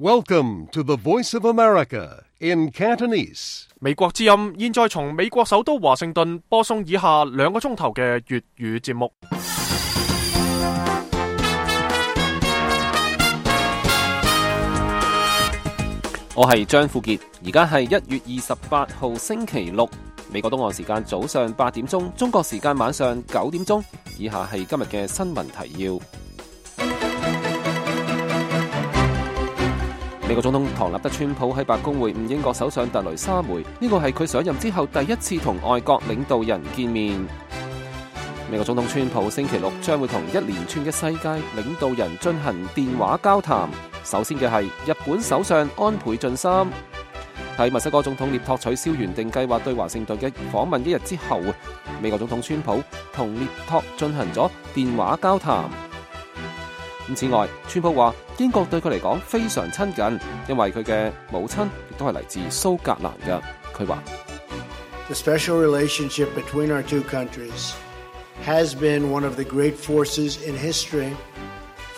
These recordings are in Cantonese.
Welcome to the Voice of America in Cantonese. 美國之音現在從美國首都華盛頓播送以下2個鐘頭嘅粵語節目。我係張富傑，而家係1月28號星期六，美國東岸時間早上8點鐘，中國時間晚上9點鐘。以下係今日嘅新聞提要。美國總統唐納德川普喺白宮會晤英國首相特雷莎梅，呢個係佢上任之後第一次同外國領導人見面。美國總統川普星期六將會同一連串嘅世界領導人進行電話交談。首先嘅係日本首相安倍晉三。喺墨西哥總統涅托取消原定計劃對華盛頓嘅訪問一日之後，美國總統川普同涅托進行咗電話交談。此外，川普話英國對佢嚟講非常親近，因為佢嘅母親亦都係嚟自蘇格蘭嘅。佢話 The special relationship between our two countries has been one of the great forces in history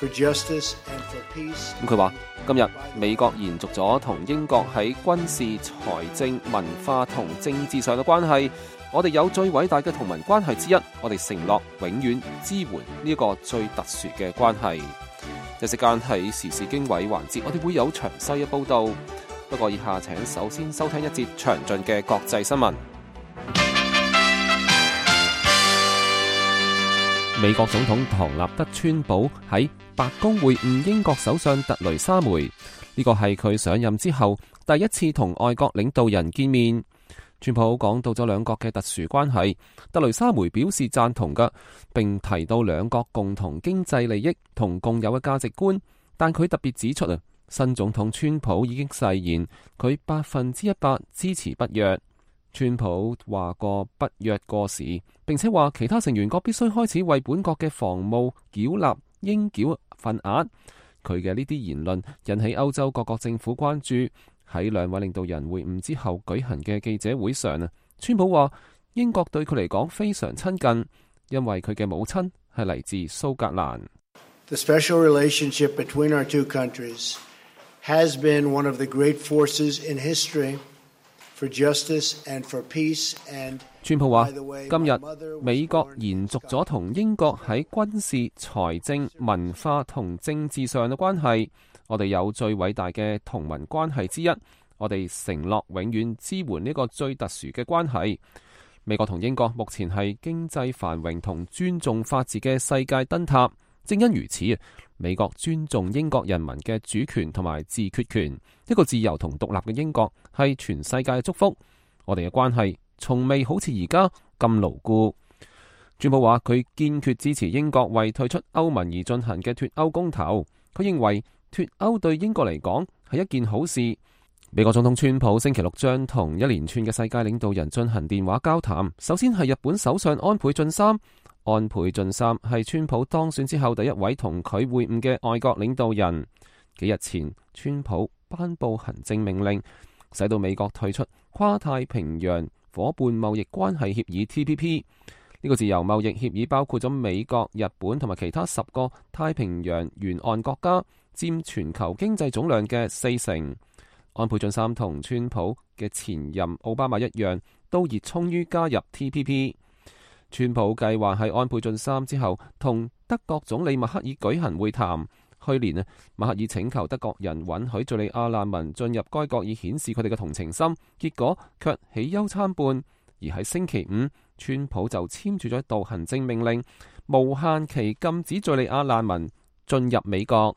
for justice and for peace. 佢話今日美國延續咗同英國喺軍事、財政、文化同政治上嘅關係。我哋有最偉大嘅同盟關係之一，我哋承諾永遠支援呢個最特殊嘅關係。一時間喺時事經緯環節，我哋會有詳細嘅報導。不過以下請首先收聽一節詳盡嘅國際新聞。美國總統唐納德川普喺白宮會晤英國首相特雷莎梅，呢個係佢上任之後第一次同外國領導人見面。川普講到咗兩國嘅特殊關係，特雷莎梅表示贊同嘅，並提到兩國共同經濟利益同共有嘅價值觀。但佢特別指出新總統川普已經誓言佢100%支持北約。川普話過北約過時，並且話其他成員國必須開始為本國嘅防務繳納應繳份額。佢嘅呢啲言論引起歐洲各國政府關注。喺兩位領導人會晤之後舉行嘅記者會上，川普話英國對佢嚟講非常親近，因為佢嘅母親係嚟自蘇格蘭。The special relationship between our two countries has been one of the great forces in history for justice and for peace. And 川普話今日美國延續咗同英國喺軍事、財政、文化同政治上嘅關係。我哋有最偉大嘅同盟關係之一，我哋承諾永遠支援呢個最特殊嘅關係。美國同英國目前係經濟繁榮同尊重法治嘅世界燈塔，正因如此，美國尊重英國人民嘅主權同埋自決權。一個自由同獨立嘅英國係全世界嘅祝福。我哋嘅關係從未好似而家咁牢固。川普話佢堅決支持英國為退出歐盟而進行嘅脫歐公投。佢認為脫歐對英國嚟講係一件好事。美國總統川普星期六將同一連串嘅世界領導人進行電話交談。首先係日本首相安倍晉三。安倍晉三係川普當選之後第一位同佢會晤嘅外國領導人。幾日前，川普頒布行政命令，使到美國退出跨太平洋夥伴貿易關係協議 TPP。呢個自由貿易協議包括咗美國、日本同埋其他10個太平洋沿岸國家，佔全球經濟總量嘅40%。安倍晉三同川普嘅前任奧巴馬一樣，都熱衷於加入 TPP。川普計劃喺安倍晉三之後同德國總理默克爾舉行會談。去年默克爾請求德國人允許敘利亞難民進入該國以顯示佢哋嘅同情心，結果卻喜憂參半。而喺星期五，川普就簽署咗一道行政命令，無限期禁止敘利亞難民進入美國。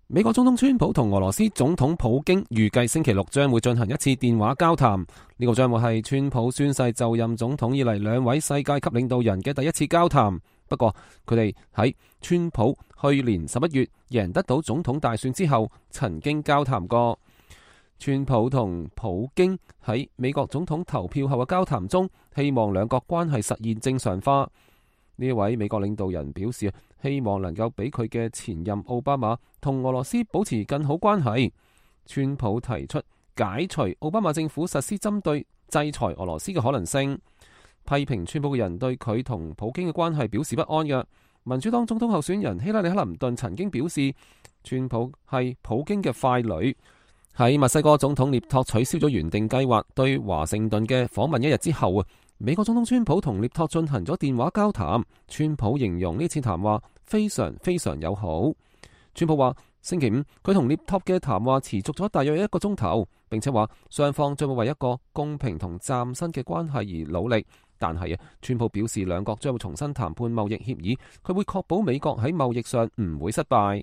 美國總統川普同俄羅斯總統普京預計星期六將會進行一次電話交談。呢個將會係川普宣誓就任總統以嚟兩位世界級領導人嘅第一次交談。不過佢哋喺川普去年11月贏得到總統大選之後曾經交談過。川普同普京喺美國總統投票後嘅交談中，希望兩國關係實現正常化。呢位美國領導人表示，希望能夠比佢嘅前任奧巴馬同俄羅斯保持更好關係。川普提出解除奧巴馬政府實施針對制裁俄羅斯嘅可能性。批評川普嘅人對佢同普京嘅關係表示不安嘅。民主黨總統候選人希拉里克林頓曾經表示，川普係普京嘅傀儡。喺墨西哥總統涅托取消咗原定計劃對華盛頓嘅訪問一日之後，美國總統川普同涅托進行咗電話交談。川普形容呢次談話非常非常友好。川普話星期五佢同涅托嘅談話持續咗大約1個鐘頭，並且話雙方將會為一個公平同嶄新嘅關係而努力。但係川普表示兩國將會重新談判貿易協議，佢會確保美國喺貿易上唔會失敗。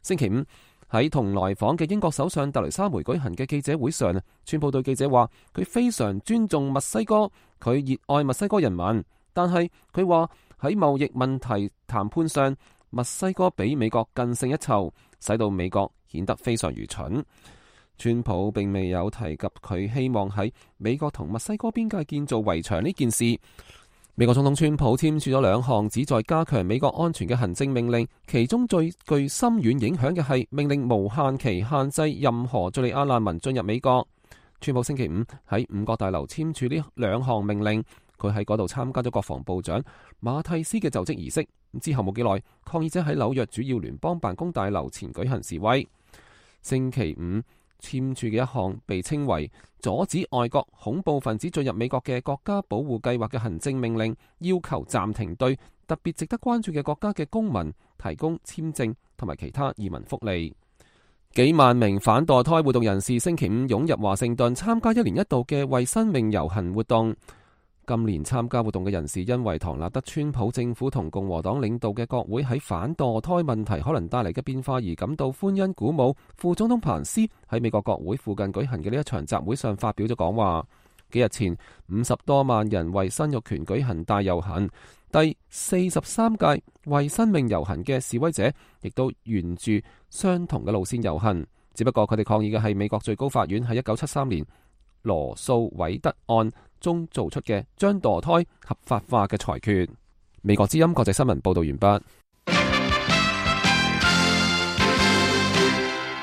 星期五喺同來訪嘅英國首相特蕾莎梅舉行嘅記者會上，川普對記者話佢非常尊重墨西哥，佢熱愛墨西哥人民，但係佢話喺貿易問題談判上，墨西哥比美國更勝一籌，使到美國顯得非常愚蠢。川普並未有提及佢希望喺美國同墨西哥邊界建造圍牆呢件事。美國總統川普簽署咗2項旨在加強美國安全嘅行政命令，其中最具深遠影響嘅係命令無限期限制任何敘利亞難民進入美國。川普星期五喺5角大樓簽署呢2項命令，佢喺嗰度參加咗國防部長馬蒂斯嘅就職儀式。之後冇幾耐，抗議者喺紐約主要聯邦辦公大樓前舉行示威。星期五簽署嘅一項被稱為阻止外國恐怖分子進入美國嘅國家保護計劃嘅行政命令，要求暫停對特別值得關注嘅國家嘅公民提供簽證同埋其他移民福利。幾萬名反墮胎活動人士星期五湧入華盛頓參加1年1度嘅為生命遊行活動。今年參加活動嘅人士因為唐納德川普政府同共和黨領導嘅國會喺反墮胎問題可能帶嚟嘅變化而感到歡欣鼓舞。副總統彭斯喺美國國會附近舉行嘅呢一場集會上發表咗講話。幾日前50多萬人為生育權舉行大遊行，第43屆為生命遊行嘅示威者亦都沿住相同嘅路線遊行，只不過佢哋抗議嘅係美國最高法院喺1973年羅訴韋德案中做出嘅將墮胎合法化嘅裁決。美國之音國際新聞報道完畢。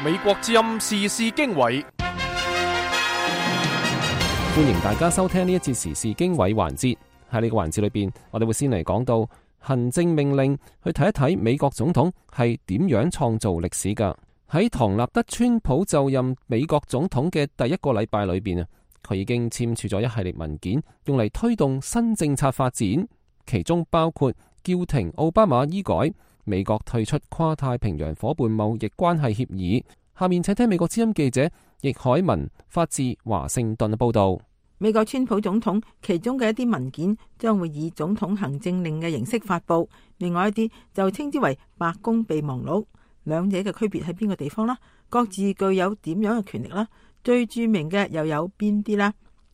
美國之音時事經緯，歡迎大家收聽呢一節時事經緯環節。喺呢個環節裏邊，我哋會先嚟講到行政命令，去睇一睇美國總統係點樣創造歷史噶。喺唐納德川普就任美國總統嘅第1個禮拜裏邊啊，佢已經簽署咗一系列文件，用嚟推動新政策發展，其中包括叫停奧巴馬醫改、美國退出跨太平洋夥伴貿易關係協議。下面請聽美國之音記者易海文發自華盛頓嘅報道。美國川普總統其中嘅一啲文件將會以總統行政令嘅形式發佈，另外一啲就稱之為白宮備忘錄。兩者嘅區別喺邊個地方啦？各自具有點樣嘅權力啦？最著名嘅又有邊啲啦？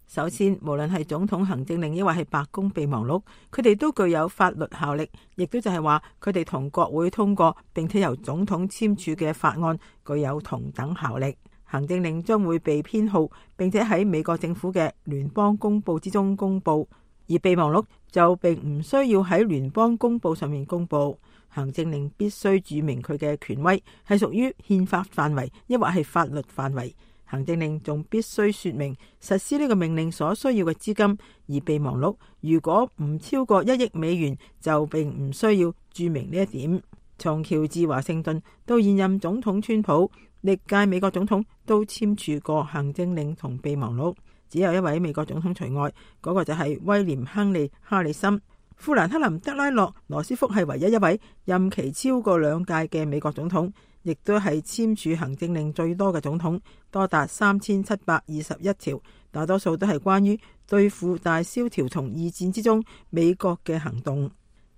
首先，無論係總統行政令抑或係白宮備忘錄，佢哋都具有法律效力，亦都就係話佢哋同國會通過並且由總統簽署嘅法案具有同等效力。行政令將會被編號，並且喺美國政府嘅聯邦公報之中公布，而備忘錄就並唔需要喺聯邦公報上面公布。行政令必須註明佢嘅權威係屬於憲法範圍，抑或係法律範圍。行政令仲必須說明實施呢個命令所需要嘅資金，而備忘錄如果唔超過1億美元，就並唔需要註明呢一點。從喬治華盛頓到現任總統川普，歷屆美國總統都簽署過行政令同備忘錄，只有一位美國總統除外，嗰個就係威廉亨利哈里森。富蘭克林德拉洛羅斯福係唯一一位任期超過2屆嘅美國總統，亦都係簽署行政令最多嘅總統，多達3721條，大多數都係關於對付大蕭條同二戰之中美國嘅行動。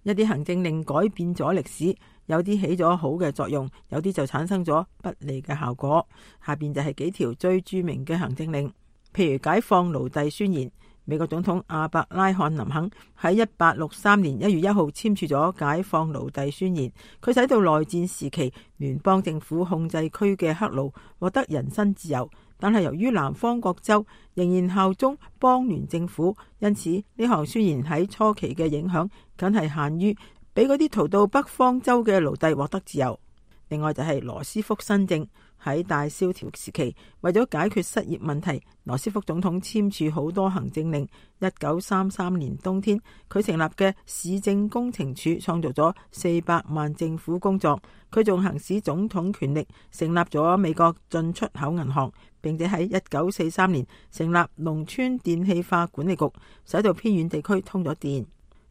一啲行政令改變咗歷史，有啲起咗好嘅作用，有啲就產生咗不利嘅效果。下邊就係幾條最著名嘅行政令，譬如解放奴隸宣言。美國總統亞伯拉罕林肯喺1863年1月1號簽署咗解放奴隸宣言，佢使到內戰時期聯邦政府控制區嘅黑奴獲得人身自由，但係由於南方各州仍然效忠邦聯政府，因此呢項宣言喺初期嘅影響僅係限於俾嗰啲逃到北方州嘅奴隸獲得自由。另外就係羅斯福新政，喺大蕭條時期，為咗解決失業問題，羅斯福總統簽署好多行政令。1933年冬天，佢成立嘅市政工程處創造咗400萬政府工作。佢仲行使總統權力，成立咗美國進出口銀行，並且喺1943年成立農村電氣化管理局，使到偏遠地區通咗電。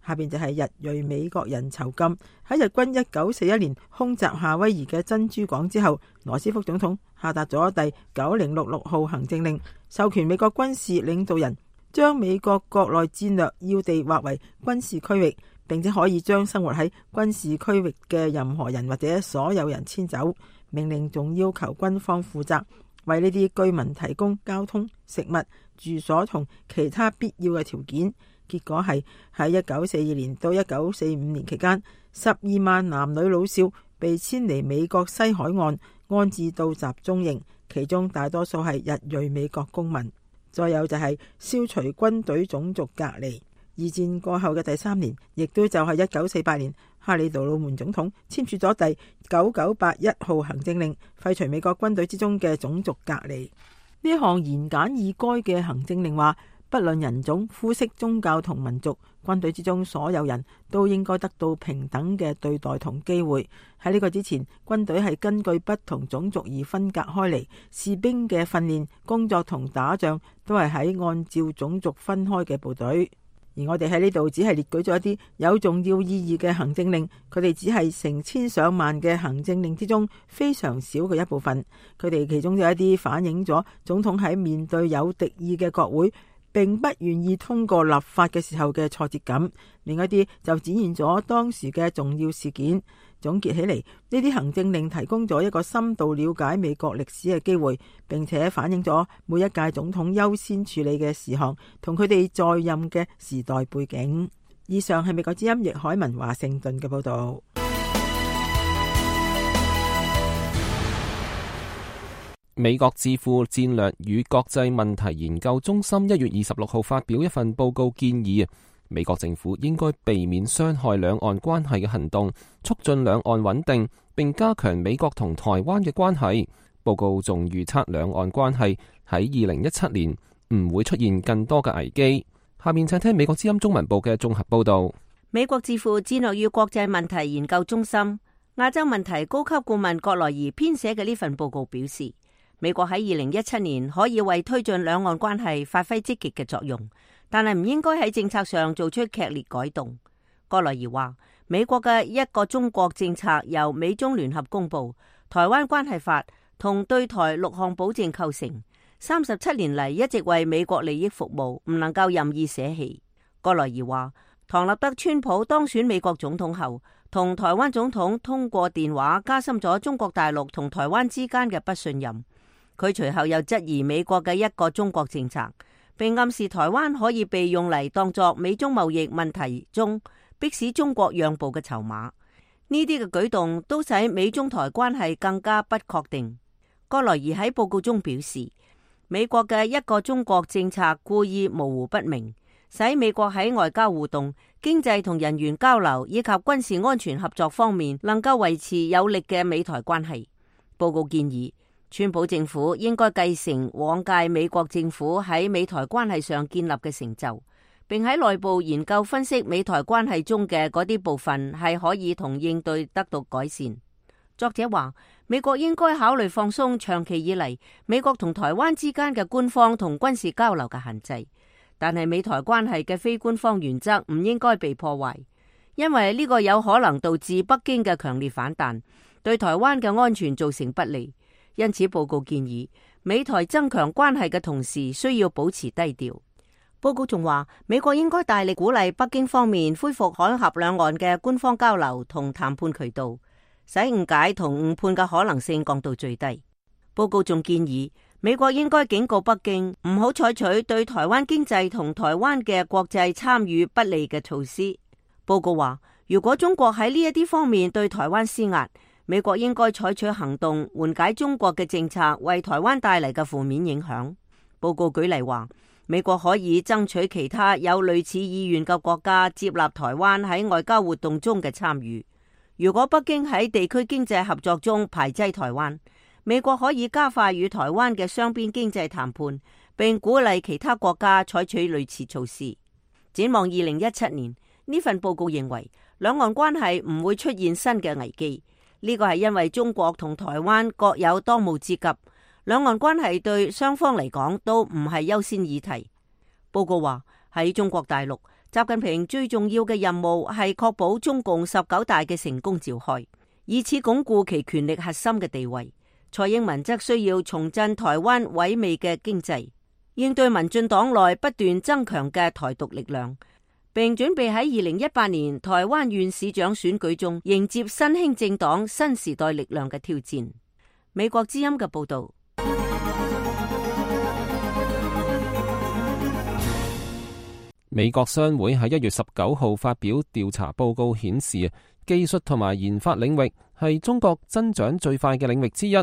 下邊就係日裔美國人囚禁。喺日軍1941年空襲夏威夷嘅珍珠港之後，羅斯福總統下達咗第9066號行政令，授權美國軍事領導人將美國國內戰略要地劃為軍事區域，並且可以將生活喺軍事區域嘅任何人或者所有人遷走。命令仲要求軍方負責為呢啲居民提供交通、食物、住所同其他必要嘅條件。結果係喺1942年到1945年期間，12萬男女老少被遷離美國西海岸，安置到集中營，其中大多數係日裔美國公民。再有就係消除軍隊種族隔離。二戰過後嘅第3年，亦都就係1948年，哈里杜魯門總統簽署咗第9981號行政令，廢除美國軍隊之中嘅種族隔離。呢項言簡意賅嘅行政令話，不論人種、膚色、宗教同民族，軍隊之中所有人都應該得到平等嘅對待同機會。喺呢個之前，軍隊係根據不同種族而分隔開嚟，士兵嘅訓練、工作同打仗都係喺按照種族分開嘅部隊。而我哋喺呢度只係列舉咗一啲有重要意義嘅行政令，佢哋只係成千上萬嘅行政令之中非常少嘅一部分。佢哋其中有一啲反映咗總統喺面對有敵意嘅國會並不願意通過立法嘅時候嘅挫折感，另一啲就展現咗當時嘅重要事件。總結起嚟，呢啲行政令提供咗一個深度了解美國歷史嘅機會，並且反映咗每一屆總統優先處理嘅事項同佢哋在任嘅時代背景。以上係美國之音易海文華盛頓嘅報道。美國智庫戰略與國際問題研究中心1月26號發表一份報告，建議美國政府應該避免傷害兩岸關係嘅行動，促進兩岸穩定，並加強美國同台灣嘅關係。報告仲預測兩岸關係喺2017年唔會出現更多嘅危機。下面請聽美國之音中文部嘅綜合報道。美國智庫戰略與國際問題研究中心亞洲問題高級顧問葛萊儀編寫嘅呢份報告表示，美國喺2017年可以為推進兩岸關係發揮積極嘅作用，但係唔應該喺政策上做出劇烈改動。葛萊儀話，美國嘅一個中國政策由美中聯合公布，台灣關係法同對台6項保證構成，37年嚟一直為美國利益服務，唔能夠任意捨棄。葛萊儀話，唐納德川普當選美國總統後，同台灣總統通過電話加深咗中國大陸同台灣之間嘅不信任。佢隨後又質疑美國嘅一個中國政策，並暗示台灣可以被用嚟當作美中貿易問題中迫使中國讓步嘅籌碼。呢啲嘅舉動都使美中台關係更加不確定。葛萊儀喺報告中表示，美國嘅一個中國政策故意模糊不明，使美國喺外交互動、經濟同人員交流以及軍事安全合作方面能夠維持有力嘅美台關係。報告建議，川普政府應該繼承往屆美國政府喺美台關係上建立嘅成就，並喺內部研究分析美台關係中嘅嗰啲部分係可以同應對得到改善。作者話，美國應該考慮放鬆長期以嚟美國同台灣之間嘅官方同軍事交流嘅限制，但係美台關係嘅非官方原則唔應該被破壞，因為呢個有可能導致北京嘅強烈反彈，對台灣嘅安全造成不利。因此，報告建議美台增強關係嘅同時，需要保持低調。報告仲話，美國應該大力鼓勵北京方面恢復海峽兩岸嘅官方交流同談判渠道，使誤解同誤判嘅可能性降到最低。報告仲建議美國應該警告北京，唔好採取對台灣經濟同台灣嘅國際參與不利嘅措施。報告話，如果中國喺呢一啲方面對台灣施壓，美國應該採取行動緩解中國嘅政策為台灣帶嚟嘅負面影響。報告舉例話，美國可以爭取其他有類似意願嘅國家接納台灣喺外交活動中嘅參與。如果北京喺地區經濟合作中排擠台灣，美國可以加快與台灣嘅雙邊經濟談判，並鼓勵其他國家採取類似措施。展望2017年，呢份報告認為兩岸關係唔會出現新嘅危機。呢個係因為中國同台灣各有當務之急，兩岸關係對雙方嚟講都唔係優先議題。報告話喺中國大陸，習近平最重要嘅任務係確保中共19大嘅成功召開，以此鞏固其權力核心嘅地位。蔡英文則需要重振台灣萎靡嘅經濟，應對民進黨內不斷增強嘅台獨力量，並準備喺2018年台灣縣市長選舉中迎接新興政黨新時代力量嘅挑戰。美國之音嘅報道。美國商會喺1月19號發表調查報告顯示，技術同埋研發領域係中國增長最快嘅領域之一，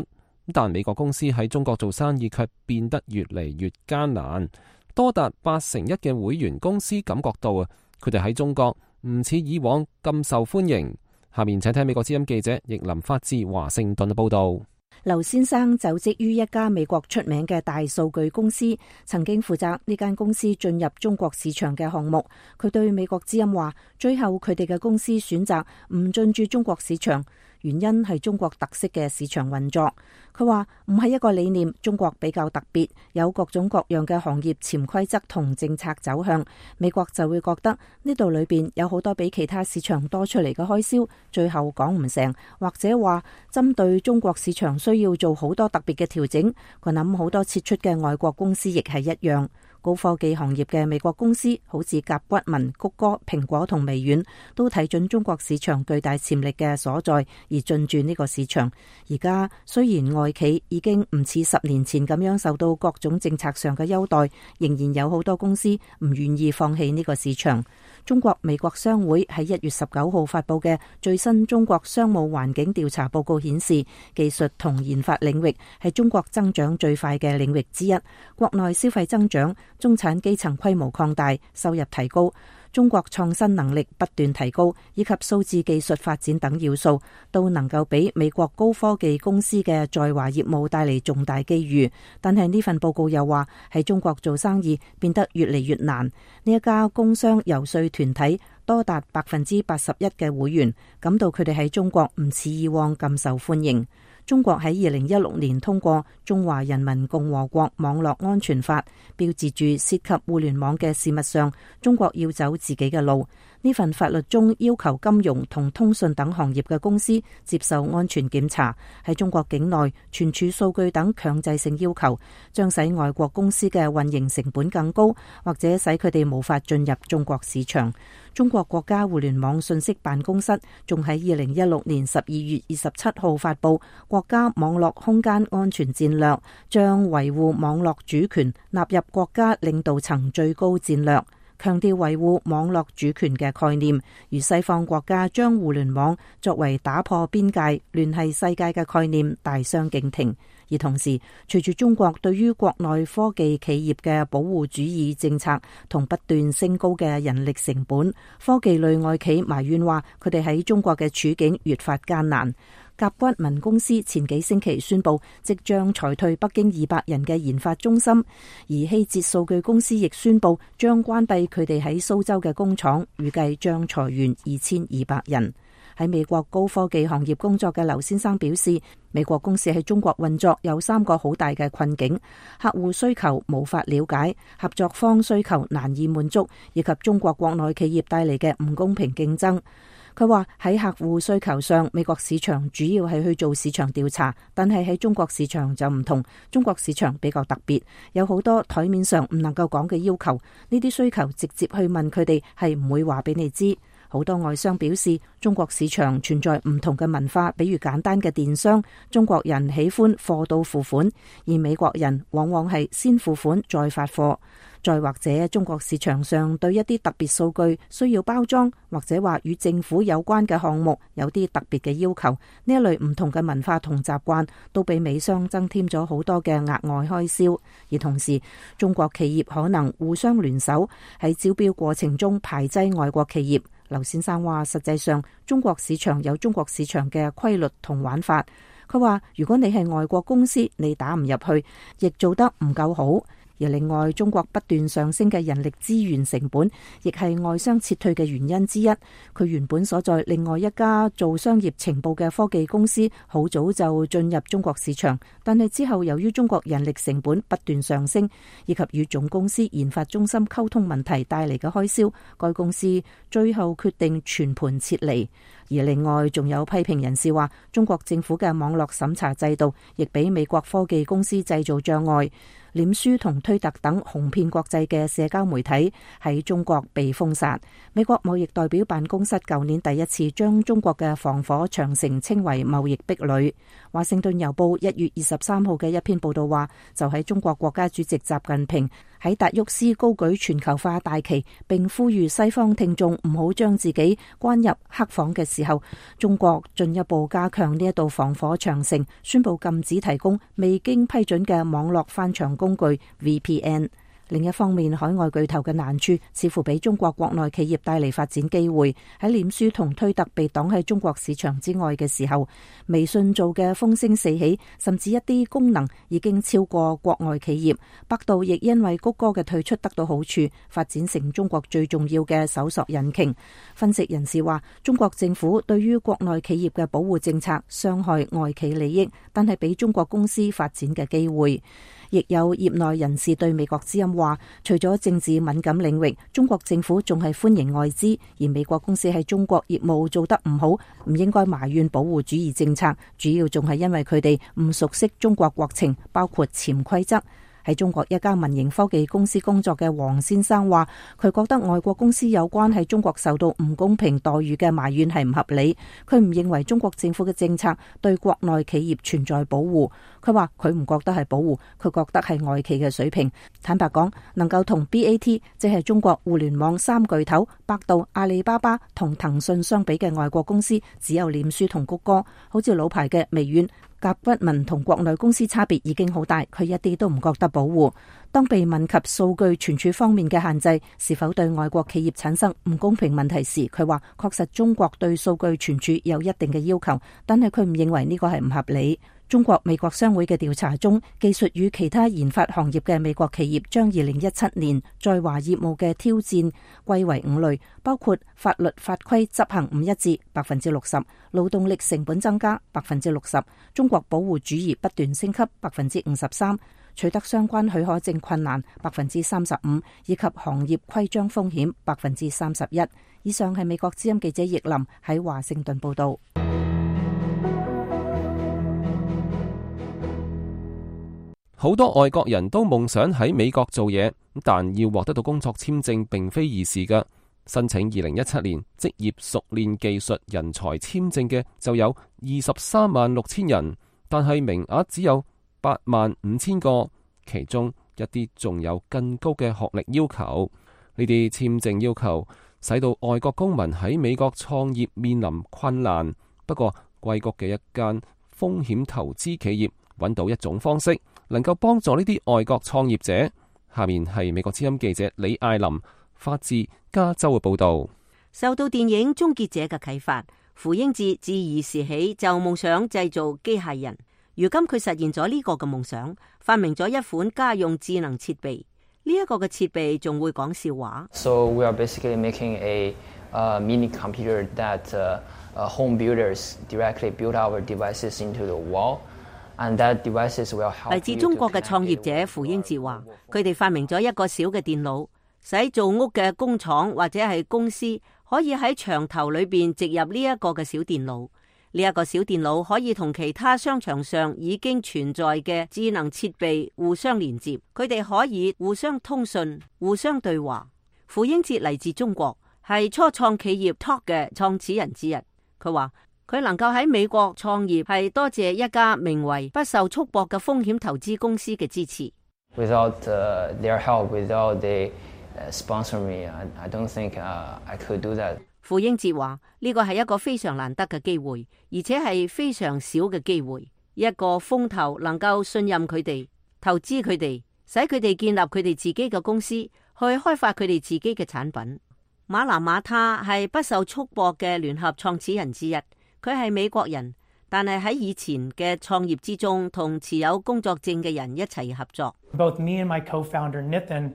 但美國公司喺中國做生意卻變得越嚟越艱難。多達81%嘅會員公司感覺到佢哋喺中國唔似以往咁受歡迎。下面請聽美國之音記者易林發自華盛頓嘅報道。劉先生就職於一家美國出名嘅大數據公司，曾經負責呢間公司進入中國市場嘅項目。佢對美國之音話，最後佢哋嘅公司選擇唔進駐中國市場，原因係中國特色嘅市場運作。佢話唔係一個理念，中國比較特別，有各種各樣嘅行業潛規則同政策走向，美國就會覺得呢度裏邊有好多比其他市場多出嚟嘅開銷，最後講唔成，或者話針對中國市場需要做好多特別嘅調整。佢諗好多撤出嘅外國公司亦係一樣。高科技行業嘅美國公司，好似甲骨文、谷歌、蘋果同微軟，都睇準中國市場巨大潛力嘅所在而進駐呢個市場。而家雖然外企已經唔似10年前咁樣受到各種政策上嘅優待，仍然有好多公司唔願意放棄呢個市場。中國美國商會喺1月19號發佈嘅最新中國商務環境調查報告顯示，技術同研發領域係中國增長最快嘅領域之一。國內消費增長、中產基層規模擴大、收入提高、中國創新能力不斷提高，以及數字技術發展等要素，都能夠俾美國高科技公司嘅在華業務帶嚟重大機遇。但係呢份報告又話，喺中國做生意變得越嚟越難。呢一家工商遊說團體多達81%嘅會員感到佢哋喺中國唔似以往咁受歡迎。中國喺2016年通過《中華人民共和國網絡安全法》，標誌住涉及互聯網嘅事物上，中國要走自己嘅路。呢份法律中要求金融同通訊等行業嘅公司接受安全檢查，喺中國境內存儲數據等強制性要求，將使外國公司嘅運營成本更高，或者使佢哋無法進入中國市場。中國國家互聯網信息辦公室仲喺2016年12月27號發布國家網絡空間安全戰略，將維護網絡主權納入國家領導層最高戰略，強調維護網絡主權嘅概念，與西方國家將互聯網作為打破邊界、聯繫世界嘅概念大相徑庭。而同時，隨住中國對於國內科技企業嘅保護主義政策同不斷升高嘅人力成本，科技類外企埋怨話佢哋喺中國嘅處境越發艱難。甲骨文公司前幾星期宣布即將裁退北京200人嘅研發中心，而希捷數據公司亦宣布將關閉佢哋喺蘇州嘅工廠，預計將裁員2200人。喺美國高科技行業工作嘅劉先生表示，美國公司喺中國運作有3個好大嘅困境：客戶需求無法了解，合作方需求難以滿足，以及中國國內企業帶嚟嘅唔公平競爭。佢話喺客戶需求上，美國市場主要係去做市場調查，但係喺中國市場就唔同。中國市場比較特別，有好多台面上唔能夠講嘅要求，呢啲需求直接去問佢哋係唔會話俾你知。好多外商表示，中國市場存在唔同嘅文化，比如簡單嘅電商，中國人喜歡貨到付款，而美國人往往係先付款再發貨。再或者中國市場上對一啲特別數據需要包裝，或者話與政府有關嘅項目有啲特別嘅要求，呢一類唔同嘅文化同習慣都俾美商增添咗好多嘅額外開銷。而同時，中國企業可能互相聯手喺招標過程中排擠外國企業。劉先生話，實際上中國市場有中國市場嘅規律同玩法。佢話如果你係外國公司，你打唔入去，亦做得唔夠好。而另外，中國不斷上升嘅人力資源成本，亦係外商撤退嘅原因之一。佢原本所在另外一家做商業情報嘅科技公司，好早就進入中國市場，但係之後由於中國人力成本不斷上升，以及與總公司研發中心溝通問題帶嚟嘅開銷，該公司最後決定全盤撤離。而另外仲有批評人士話，中國政府嘅網絡審查制度亦俾美國科技公司製造障礙。臉書同推特等紅遍國際嘅社交媒體喺中國被封殺。美國貿易代表辦公室舊年第一次將中國嘅防火長城稱為貿易壁壘。華盛頓郵報1月23號嘅一篇報道話，就喺中國國家主席習近平喺達沃斯高舉全球化大旗，並呼籲西方聽眾唔好將自己關入黑房嘅時候，中國進一步加強呢一道防火長城，宣布禁止提供未經批准嘅網絡翻牆工具 VPN。另一方面，海外巨頭嘅難處似乎俾中國國內企業帶嚟發展機會。喺臉書同推特被擋喺中國市場之外嘅時候，微信做嘅風聲四起，甚至一啲功能已經超過國外企業。百度亦因為谷歌嘅退出得到好處，發展成中國最重要嘅搜索引擎。分析人士話，中國政府對於國內企業嘅保護政策傷害外企利益，但係俾中國公司發展嘅機會。亦有業內人士對美國之音話，除咗政治敏感領域，中國政府仲係歡迎外資，而美國公司喺中國業務做得唔好，唔應該埋怨保護主義政策，主要仲係因為佢哋唔熟悉中國國情，包括潛規則。喺中國一家民營科技公司工作嘅黃先生話，佢覺得外國公司有關喺中國受到唔公平待遇嘅埋怨係唔合理。佢唔認為中國政府嘅政策對國內企業存在保護。佢話佢唔覺得係保護，佢覺得係外企嘅水平。坦白講，能夠同 BAT 即係中國互聯網三巨頭百度、阿里巴巴同騰訊相比嘅外國公司，只有臉書同谷歌。好似老牌嘅微軟、甲骨文同國內公司差別已經好大，佢一啲都唔覺得保護。當被問及數據存儲方面嘅限制是否對外國企業產生唔公平問題時，佢話確實中國對數據存儲有一定嘅要求，但係佢唔認為呢個係唔合理。中國美國商會嘅調查中，技術與其他研發行業嘅美國企業將2017年在華業務嘅挑戰歸為5類，包括法律法規執行唔一致 60%， 勞動力成本增加 60%， 中國保護主義不斷升級 53%， 取得相關許可證困難 35%， 以及行業規章風險 31%。以上係美國之音記者葉林喺華盛頓報道。好多外國人都夢想喺美國做嘢，但要獲得到工作簽證並非易事㗎。申請2017年職業熟練技術人才簽證嘅就有236000人，但係名額只有85000個，其中一啲仲有更高嘅學歷要求。呢啲簽證要求使到外國公民喺美國創業面臨困難。不過，硅谷嘅一間風險投資企業揾到一種方式，能夠幫助呢啲外國創業者。下面係美國之音記者李艾琳發自加州嘅報道。受到電影《終結者》嘅啟發，傅英智自兒時起就夢想製造機械人。如今佢實現咗呢個嘅夢想，發明咗一款家用智能設備。呢一個嘅設備仲會講笑話。So we are basically making a mini computer that home builders directly build our devices into the wall. 嚟自中國嘅創業者傅英智話，佢哋發明咗一個小嘅電腦，使做屋嘅工廠或者係公司可以喺牆頭裏邊植入呢一個嘅小電腦。呢一個小電腦可以同其他商場上已經存在嘅智能設備互相連接，佢哋可以互相通訊、互相對話。傅英智嚟自中國，係初創企業 Talk 嘅創始人之一。佢話，佢能夠喺美國創業係多謝一家名為不受束縛嘅風險投資公司嘅支持。Without their help, without they sponsor me, I don't think I could do that. 傅英智話：呢個係一個非常難得嘅機會，而且係非常少嘅機會。一個風投能夠信任佢哋，投資佢哋，使佢哋建立佢哋自己嘅公司，去開發佢哋自己嘅產品。馬拿馬他係不受束縛嘅聯合創始人之一。佢係美國人，但係喺以前嘅創業之中，同持有工作證嘅人一齊合作。Both me and my co-founder Nitin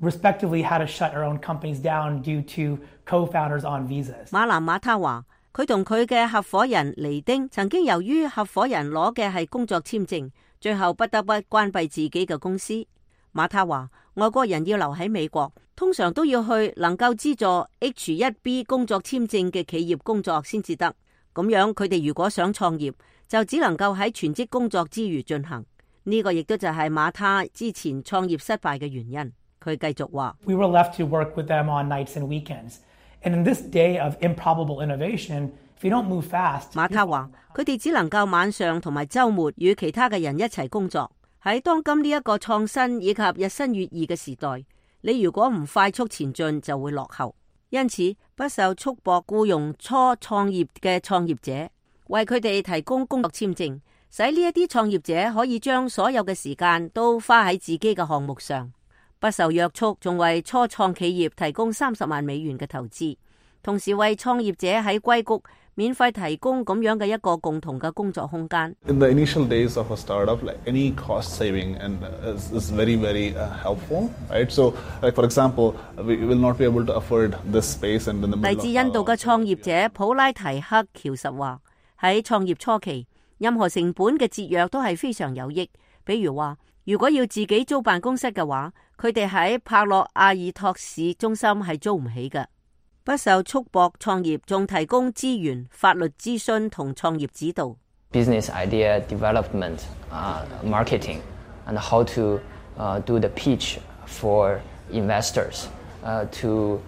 respectively had to shut our own companies down due to co-founders on visas. 馬南馬他話，佢同佢嘅合夥人尼丁曾經由於合夥人攞嘅係工作簽證，最後不得不關閉自己嘅公司。馬他話，外國人要留喺美國，通常都要去能夠資助 H-1B 工作簽證嘅企業工作先至得。咁樣佢哋如果想創業，就只能夠喺全職工作之餘進行。呢個亦都就係馬他之前創業失敗嘅原因。佢繼續話 We were left to work with them on nights and weekends. And in this day of improbable innovation, if you don't move fast, 馬他話佢哋只能夠晚上同埋週末與其他嘅人一齊工作。喺當今呢一個創新以及日新月異嘅時代，你如果唔快速前進就會落後。因此不受束縛僱傭初創業嘅創業者，為佢哋提供工作簽證，使呢一啲創業者可以將所有嘅時間都花喺自己嘅項目上，不受約束，仲為初創企業提供$30萬嘅投資，同時為創業者喺硅谷免費提供咁樣嘅一個共同嘅工作空間。In the initial days of a startup, like any cost saving and is very, very helpful, right? So, like for example, we will not be able to afford this space and in the middle of 嚟自印度嘅創業者普拉提克喬實話，喺創業初期，任何成本嘅節約都係非常有益。比如話，如果要自己租辦公室嘅話，佢哋喺帕洛阿爾托市中心係租唔起嘅。不受束縛創業，仲提供資源、法律諮詢同創業指導。Business idea development, marketing, and how to do the pitch for investors to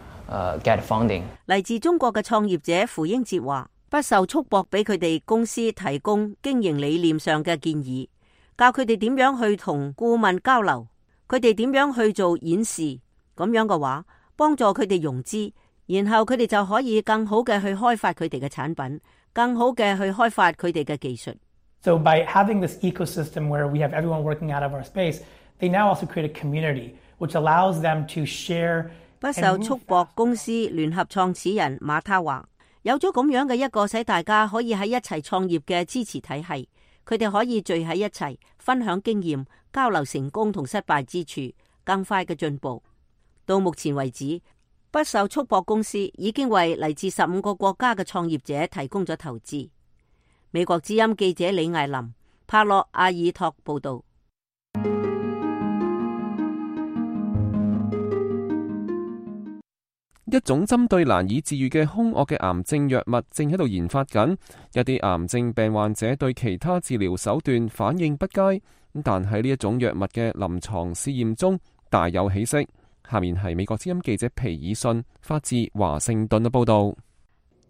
get funding. 嚟自中國嘅創業者符英哲話，不受束縛俾佢哋公司提供經營理念上嘅建議，教佢哋點樣去同顧問交流，佢哋點樣去做演示，咁樣嘅話，幫助佢哋融資。然後佢哋就可以更好嘅去開發佢哋嘅產品，更好嘅去開發佢哋嘅技術。So by having this ecosystem where we have everyone working out of our space, they now also create a community which allows them to share. 不受束縛公司聯合創始人馬他話，有咗咁樣嘅一個使大家可以喺一齊創業嘅支持體系，佢哋可以聚喺一齊分享經驗，交流成功同失敗之處，更快嘅進步。到目前為止，不受束縛公司已經為嚟自15個國家嘅創業者提供咗投資。美國之音記者李艾琳，帕洛阿爾托報道。一種針對難以治癒嘅兇惡嘅癌症藥物正喺度研發緊，一啲癌症病患者對其他治療手段反應不佳，但喺呢一種藥物嘅臨床試驗中大有起色。下面係美國之音記者皮爾遜發自華盛頓嘅報道。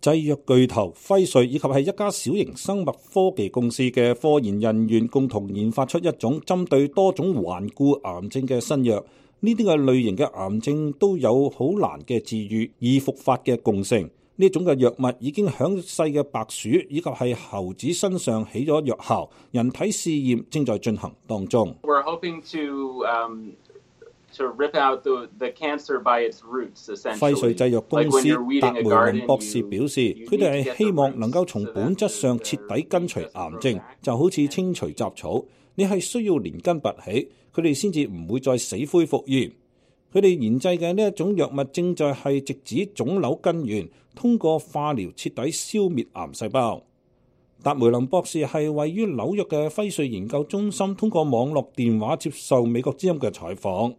製藥巨頭輝瑞以及係一家小型生物科技公司嘅科研人員共同研發出一種針對多種頑固癌症嘅新藥。呢啲嘅類型嘅癌症都有好難嘅治癒易復發嘅共性。呢種嘅藥物已經響細嘅白鼠以及係猴子身上起咗藥效，人體試驗正在進行當中。We're hoping to rip out the cancer by its roots, essentially. 輝瑞製藥公司達梅倫博士表示，佢哋係希望能夠從本質上徹底根除癌症，就好似清除雜草，你係需要連根拔起，佢哋先至唔會再死灰復燃。佢哋研製嘅呢一種藥物正在係直指腫瘤根源，通過化療徹底消滅癌細胞。達梅倫博士係位於紐約嘅輝瑞研究中心，通過網絡電話接受美國之音嘅採訪。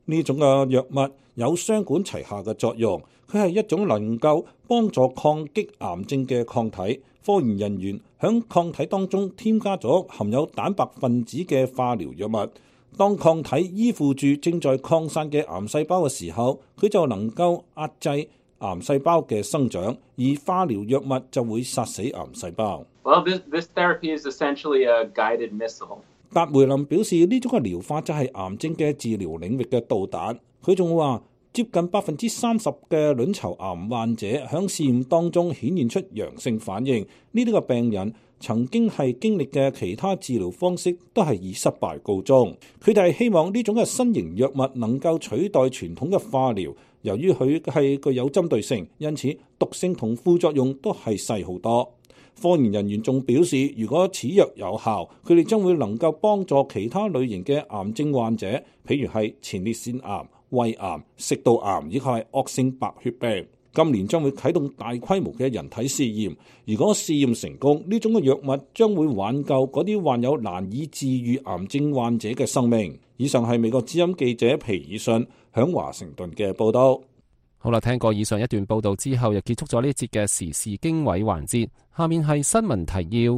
呢種嘅藥物有雙管齊下嘅作用，佢係一種能夠幫助抗擊癌症嘅抗體。科研人員響抗體當中添加咗含有蛋白分子嘅化療藥物，當抗體依附住正在擴散嘅癌細胞嘅時候，佢就能夠壓制癌細胞嘅生長，而化療藥物就會殺死癌細胞。Well, this therapy is essentially a guided missile. 達梅林表示，呢種嘅療法就係癌症嘅治療領域嘅導彈。佢仲話，接近30%嘅卵巢癌患者響試驗當中顯現出陽性反應。呢啲個病人曾經係經歷嘅其他治療方式都係以失敗告終。佢哋係希望呢種嘅新型藥物能夠取代傳統嘅化療，由於佢係具有針對性，因此毒性同副作用都係細好多。科研人員仲表示，如果此藥有效，佢哋將會能夠幫助其他類型嘅癌症患者，譬如係前列腺癌、胃癌、食道癌以及係惡性白血病。今年將會啟動大規模嘅人體試驗，如果試驗成功，呢種嘅藥物將會挽救嗰啲患有難以治愈癌症患者嘅生命。以上係美國之音記者皮爾遜響華盛頓嘅報道。好啦，聽過以上一段報道之後，又結束咗呢一節嘅時事經緯環節。下面係新聞提要。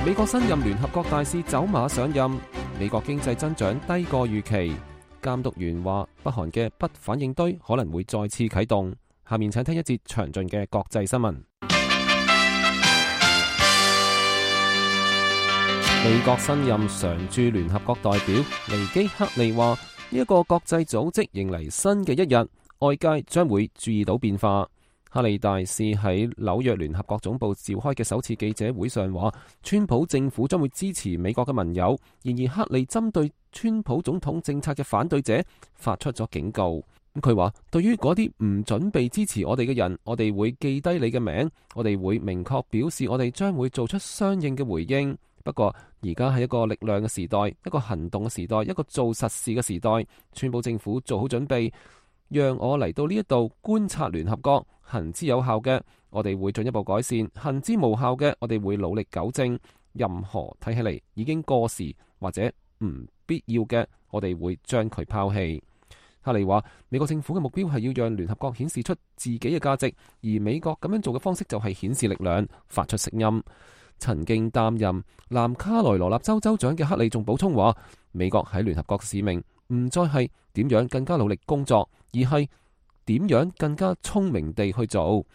美國新任聯合國大使走馬上任，美國經濟增長低過預期。監督員話，北韓嘅不反應堆可能會再次啟動。下面請聽一節詳盡嘅國際新聞。美國新任常駐聯合國代表尼基克利話，呢一個國際組織迎嚟新嘅一日，外界將會注意到變化。克利大使喺紐約聯合國總部召開嘅首次記者會上話，川普政府將會支持美國嘅盟友。然而克利針對川普總統政策嘅反對者發出咗警告。佢話，對於嗰啲唔準備支持我哋嘅人，我哋會記低你嘅名，我哋會明確表示我哋將會做出相應嘅回應。不過而家係一個力量嘅時代，一個行動嘅時代，一個做實事嘅時代。川普政府做好準備，讓我嚟到呢一度觀察聯合國，行之有效嘅，我哋會進一步改善；行之無效嘅，我哋會努力糾正。任何睇起嚟已經過時或者唔必要嘅，我哋會將佢拋棄。克利話，美國政府嘅目標係要讓聯合國顯示出自己嘅價值，而美國咁樣做嘅方式就係顯示力量，發出聲音。曾經擔任南卡羅來納州州長嘅克利仲補充話，美國喺聯合國嘅使命唔再係點樣更加努力工作，而係點樣更加聰明地去做。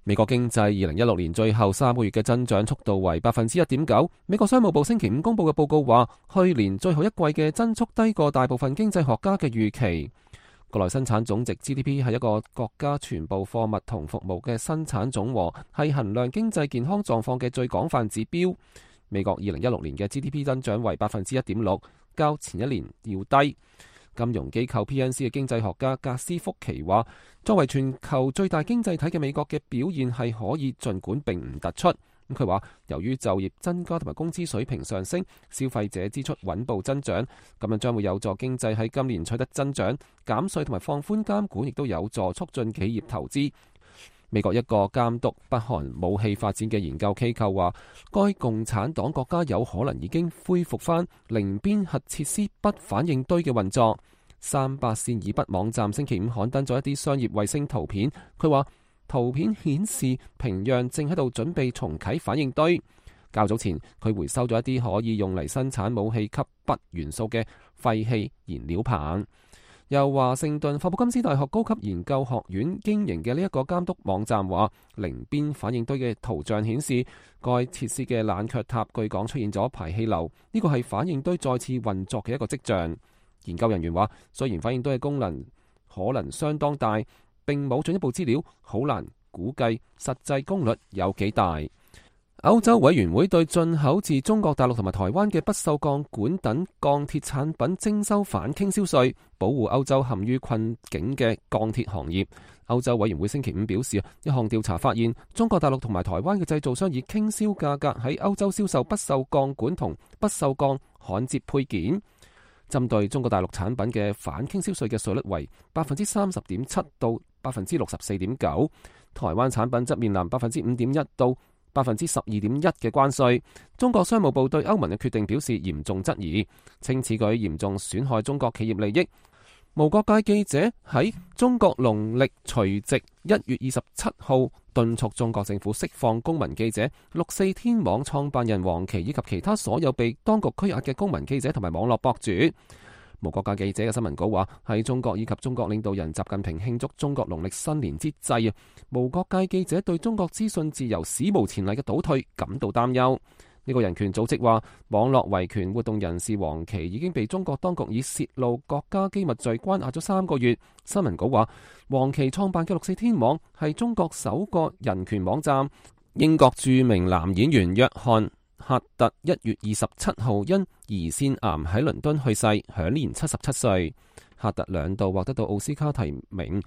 美國經濟2016年最後3個月嘅增長速度為 1.9%。美國商務部星期五公布嘅報告話，去年最後一季嘅增速低過大部分經濟學家嘅預期。國內生產總值 GDP 係一個國家全部貨物同服務嘅生產總和，係衡量經濟健康狀況嘅最廣泛指標。美國2016年嘅 GDP 增長為 1.6%，較前一年要低。金融機構 PNC 嘅經濟學家格斯福奇話，作為全球最大經濟體嘅美國嘅表現係可以，儘管並唔突出。佢話，由於就業增加同埋工資水平上升，消費者支出穩步增長，咁樣將會有助經濟喺今年取得增長。減稅同埋放寬監管亦都有助促進企業投資。美國一個監督北韓武器發展嘅研究機構話，該共產黨國家有可能已經恢復翻寧邊核設施不反應堆嘅運作。300線以北網站星期五刊登咗一啲商業衛星圖片，佢話圖片顯示平壤正喺度準備重啟反應堆。較早前佢回收咗一啲可以用嚟生產武器級鈈元素嘅廢棄燃料棒。由華盛頓霍普金斯大學高級研究學院經營嘅呢一個監督網站話，寧邊反應堆嘅圖像顯示，該設施嘅冷卻塔據講出現咗排氣流，呢個係反應堆再次運作嘅一個跡象。研究人員話，雖然反應堆嘅功能可能相當大，並冇進一步資料，好難估計實際功率有幾大。歐洲委員會對進口自中國大陸同埋台灣嘅不鏽鋼管等鋼鐵產品徵收反傾銷稅，保護歐洲陷於困境嘅鋼鐵行業。歐洲委員會星期五表示，一項調查發現，中國大陸同埋台灣嘅製造商以傾銷價格喺歐洲銷售不鏽鋼管同不鏽鋼焊接配件。針對中國大陸產品嘅反傾銷稅嘅稅率為 30.7% 到 64.9%， 台灣產品則面臨 5.1% 到 12.1% 嘅關稅。中國商務部對歐盟嘅決定表示嚴重質疑，稱此舉嚴重損害中國企業利益。無國界記者喺中國農曆除夕1月27號敦促中國政府釋放公民記者、6四天網創辦人黃琦以及其他所有被當局拘押嘅公民記者同埋網絡博主。無國界記者嘅新聞稿話，喺中國以及中國領導人習近平慶祝中國農曆新年之際，無國界記者對中國資訊自由史無前例嘅倒退感到擔憂。呢個人權組織話，網絡維權活動人士黃琦已經被中國當局以泄露國家機密罪關押咗3個月。新聞稿話，黃琦創辦嘅6四天網係中國首個人權網站。英國著名男演員約翰赫特1月27號因胰腺癌喺倫敦去世，享年77歲。赫特2度獲得到奧斯卡提名，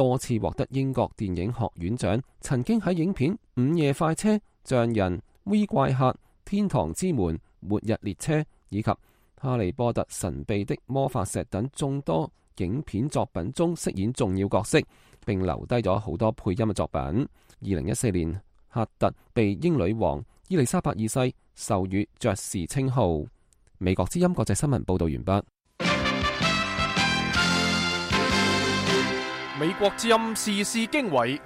多次獲得英國電影學院獎，曾經喺影片《午夜快車》、《匠人》、《V 怪客》、《天堂之門》、《末日列車》以及《哈利波特神秘的魔法石》等眾多影片作品中飾演重要角色，並留低咗好多配音嘅作品。2014年，赫特被英女王伊麗莎白二世授予爵士稱號。美國之音國際新聞報道完畢。美國之音時事經緯，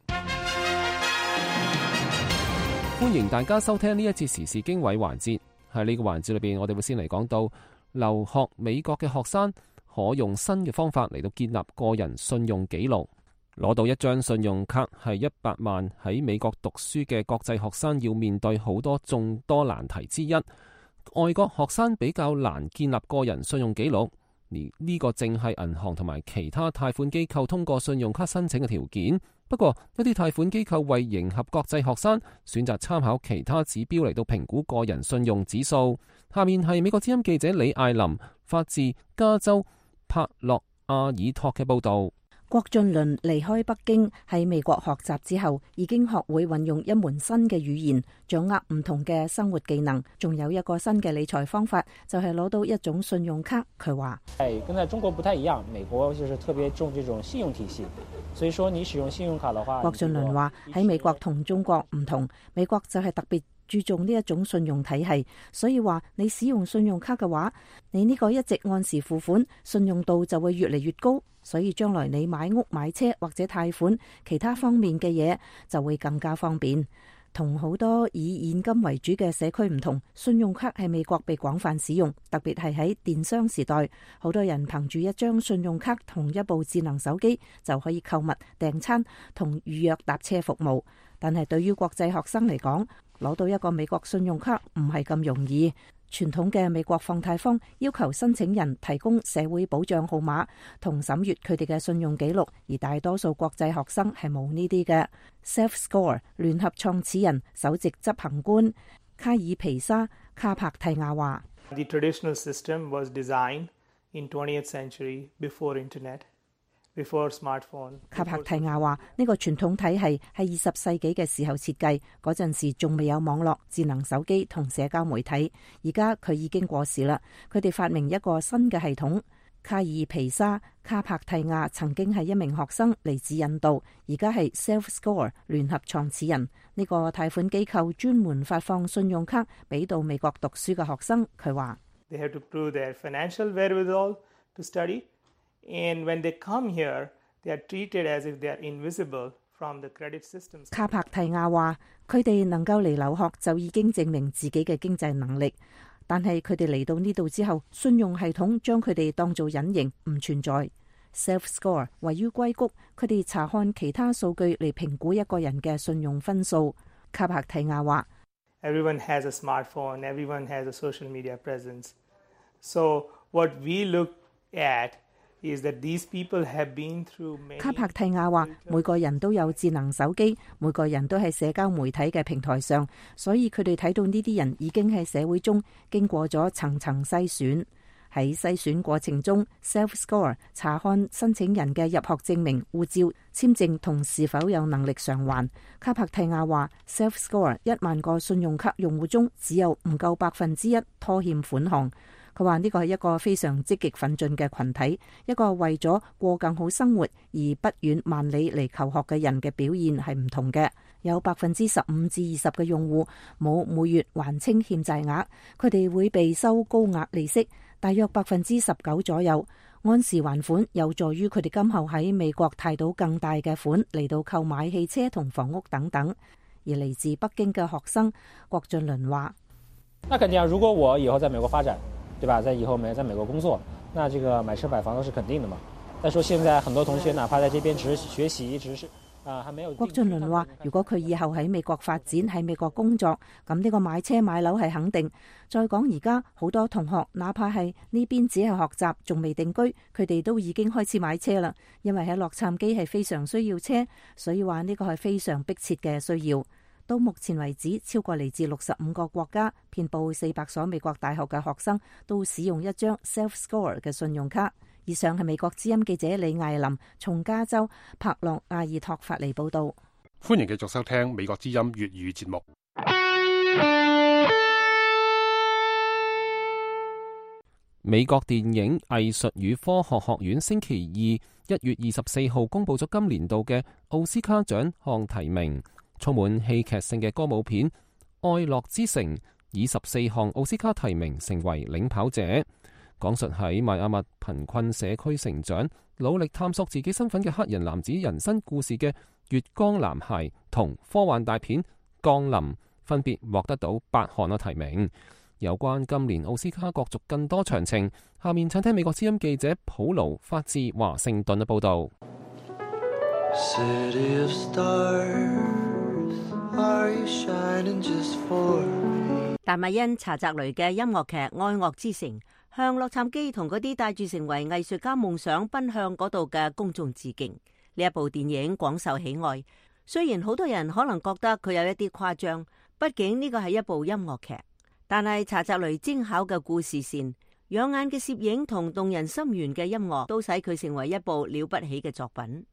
歡迎大家收聽呢一節時事經緯環節。喺呢個環節裏邊，我哋會先嚟講到留學美國嘅學生可用新嘅方法嚟到建立個人信用記錄。攞到一張信用卡係100萬喺美國讀書嘅國際學生要面對好多眾多難題之一。外國學生比較難建立個人信用記錄。而呢個正係銀行同埋其他貸款機構通過信用卡申請嘅條件。不過一啲貸款機構為迎合國際學生，選擇參考其他指標嚟到評估個人信用指數。下面係美國之音記者李艾琳發自加州帕洛阿爾托嘅報道。郭俊麟離開北京喺美國學習之後，已經學會運用一門新嘅語言，掌握唔同嘅生活技能，仲有一個新嘅理財方法，就係攞到一種信用卡。佢話：跟在中國不太一樣，美國就是特別重這種信用體系，所以說你使用信用卡的話，郭俊麟話喺美國同中國唔同，美國就係特別注重呢一種信用體系，所以話你使用信用卡嘅話，你呢個一直按時付款，信用度就會越嚟越高。所以將來你買屋買車或者貸款其他方面嘅嘢就會更加方便。同好多以現金為主嘅社區唔同，信用卡喺美國被廣泛使用，特別係喺電商時代，好多人憑住一張信用卡同一部智能手機就可以購物、訂餐同預約搭車服務。但係對於國際學生嚟講，攞到一個美國信用卡唔係咁容易。傳統嘅美國放貸方要求申請人提供社會保障號碼同審閱佢哋嘅信用記錄，而大多數國際學生係冇呢啲嘅。Self-Score 聯合創始人、首席執行官卡爾皮沙卡帕蒂亞話：The traditional system was designed in 20th century before internet.Before smartphone. 卡帕蒂亞話：呢個傳統體系係20世紀嘅時候設計，嗰陣時仲未有網絡、智能手機同社交媒體。而家佢已經過時啦。佢哋發明一個新嘅系統。卡爾皮沙卡帕蒂亞曾經係一名學生，嚟自印度，而家係 Self-Score 聯合創始人。呢個貸款機構專門發放信用卡俾到美國讀書嘅學生。佢話：They have to prove their financial wherewithal to study.And when they come here, they are treated as if they are invisible from the credit systems. 卡帕蒂亞話：佢哋能夠嚟留學就已經證明自己嘅經濟能力，但係佢哋嚟到呢度之後，信用系統將佢哋當做隱形，唔存在。Self-Score 位於硅谷，佢哋查看其他數據嚟評估一個人嘅信用分數。卡帕蒂亞話：Everyone has a smartphone, everyone has a social media presence. So what we look at卡帕蒂亞話：每個人都有智能手機，每個人都喺社交媒體嘅平台上，所以佢哋睇到呢啲人已經喺社會中經過咗層層篩選。喺篩選過程中 ，Self-Score 查看申請人嘅入學證明、護照、簽證同是否有能力償還。卡帕蒂亞話 ：Self-Score 1萬個信用卡用戶中，只有唔夠1%拖欠款項。佢話呢個係一個非常積極奮進嘅群體，一個為咗過更好生活而不遠萬里嚟求學嘅人嘅表現係唔同嘅。有15%至20%嘅用戶冇每月還清欠債額，佢哋會被收高額利息，大約19%左右。按時還款有助於佢哋今後喺美國貸到更大嘅款嚟到購買汽車同房屋等等。而嚟自北京嘅學生郭俊麟話：那肯定啊，如果我以後在美國發展，對吧？在以後在美國工作，那這個買車買房都是肯定的嘛。再說現在很多同學哪怕在這邊只是學習，只是還沒有。郭俊麟話：如果佢以後喺美國發展，喺美國工作，咁呢個買車買樓係肯定。再講而家好多同學，哪怕係呢邊只係學習，仲未定居，佢哋都已經開始買車啦。因為喺洛杉磯係非常需要車，所以話呢個係非常迫切嘅需要。到目前為止，超過嚟自65個國家、遍佈400所美國大學嘅學生都使用一張 Self-Score 嘅信用卡。以上係美國之音記者李艾琳從加州帕洛阿爾托發嚟報道。歡迎繼續收聽美國之音粵語節目。美國電影藝術與科學學院星期二1月24號公佈咗今年度嘅奧斯卡獎項提名，充滿戲劇性嘅歌舞片《愛樂之城》以14項奧斯卡提名成為領跑者，講述喺邁阿密貧困社區成長、努力探索自己身份嘅黑人男子人生故事嘅《月光男孩》同科幻大片《降臨》分別獲得到8項嘅提名。有關今年奧斯卡角逐更多詳情，下面請聽美國之音記者普勞發自華盛頓嘅報導。達米恩·查澤雷嘅音樂劇《愛樂之城》向洛杉磯同嗰啲帶住成為藝術家夢想奔向嗰度嘅公眾致敬。呢一部電影廣受喜愛，雖然好多人可能覺得佢有一啲誇張，畢竟呢個係一部音樂劇。但係查澤雷精巧嘅故事線、養眼嘅攝影同動人心弦嘅音樂，都使佢成為一部了不起嘅作品。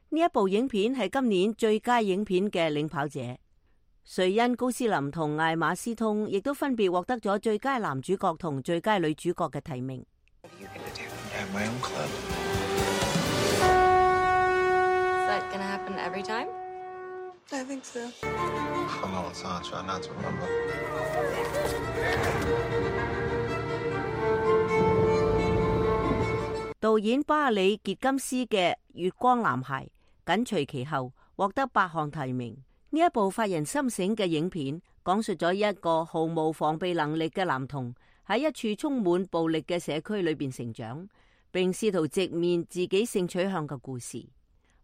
呢一部影片係今年最佳影片嘅領跑者，瑞恩·高斯林同艾瑪斯通亦都分別獲得咗最佳男主角同最佳女主角嘅提名。導演巴里·傑金斯嘅《月光男孩》緊隨其後，獲得8項提名。呢一部發人深省嘅影片，講述咗一個毫無防備能力嘅男童喺一處充滿暴力嘅社區裏邊成長，並試圖直面自己性取向嘅故事。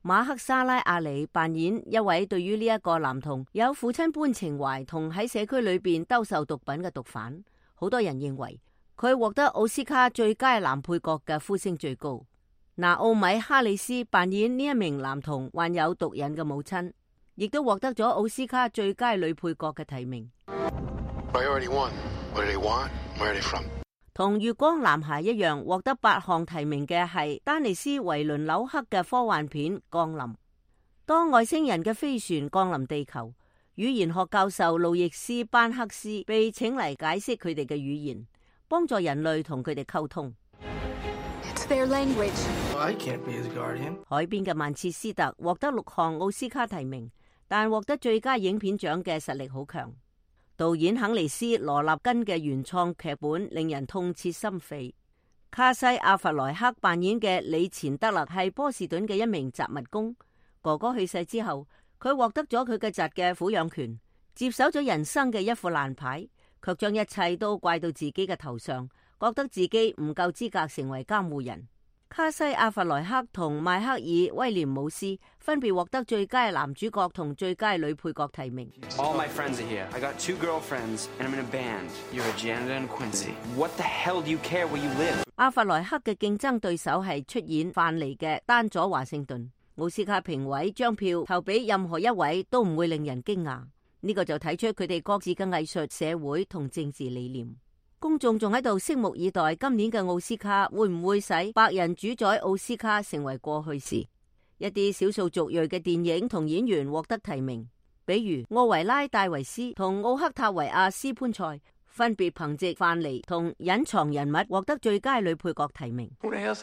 馬克沙拉阿里扮演一位對於呢一個男童有父親般情懷同喺社區裏邊兜售毒品嘅毒販。好多人認為佢獲得奧斯卡最佳男配角嘅呼聲最高。拿奧米哈里斯扮演呢一名男童患有毒癮嘅母親，亦都獲得咗奧斯卡最佳女配角嘅提名。同月光男孩一樣獲得8項提名嘅係丹尼斯·維倫紐克嘅科幻片《降臨》。當外星人嘅飛船降臨地球，語言學教授路易斯·班克斯被請嚟解釋佢哋嘅語言，幫助人類同佢哋溝通。海邊嘅曼徹斯特獲得6項奧斯卡提名，但獲得最佳影片獎嘅實力好強。導演肯尼斯·羅納根嘅原創劇本令人痛徹心扉。卡西·阿弗萊克扮演嘅李錢德勒係波士頓嘅一名雜物工，哥哥去世之後，佢獲得咗佢嘅侄嘅撫養權，接手咗人生嘅一副爛牌，卻將一切都怪到自己嘅頭上，覺得自己唔夠資格成為監護人。卡西·阿弗萊克同邁克爾·威廉姆斯分別獲得最佳男主角同最佳女配角提名。All my friends are here. I got 2 girlfriends and I'm in a band. You're a janitor and Quincy. What the hell do you care where you live? 阿弗萊克嘅競爭對手係出演范尼嘅丹佐華盛頓。奧斯卡評委將票投俾任何一位都唔會令人驚訝。呢個就睇出佢哋各自嘅藝術、社會同政治理念。公眾仲喺度拭目以待，今年嘅奧斯卡會唔會使白人主宰奧斯卡成為過去式？一啲少數族裔嘅電影同演員獲得提名，比如奧維拉戴維斯同奧克塔維亞斯潘塞，分別憑借范尼同隱藏人物獲得最佳女配角提名。魯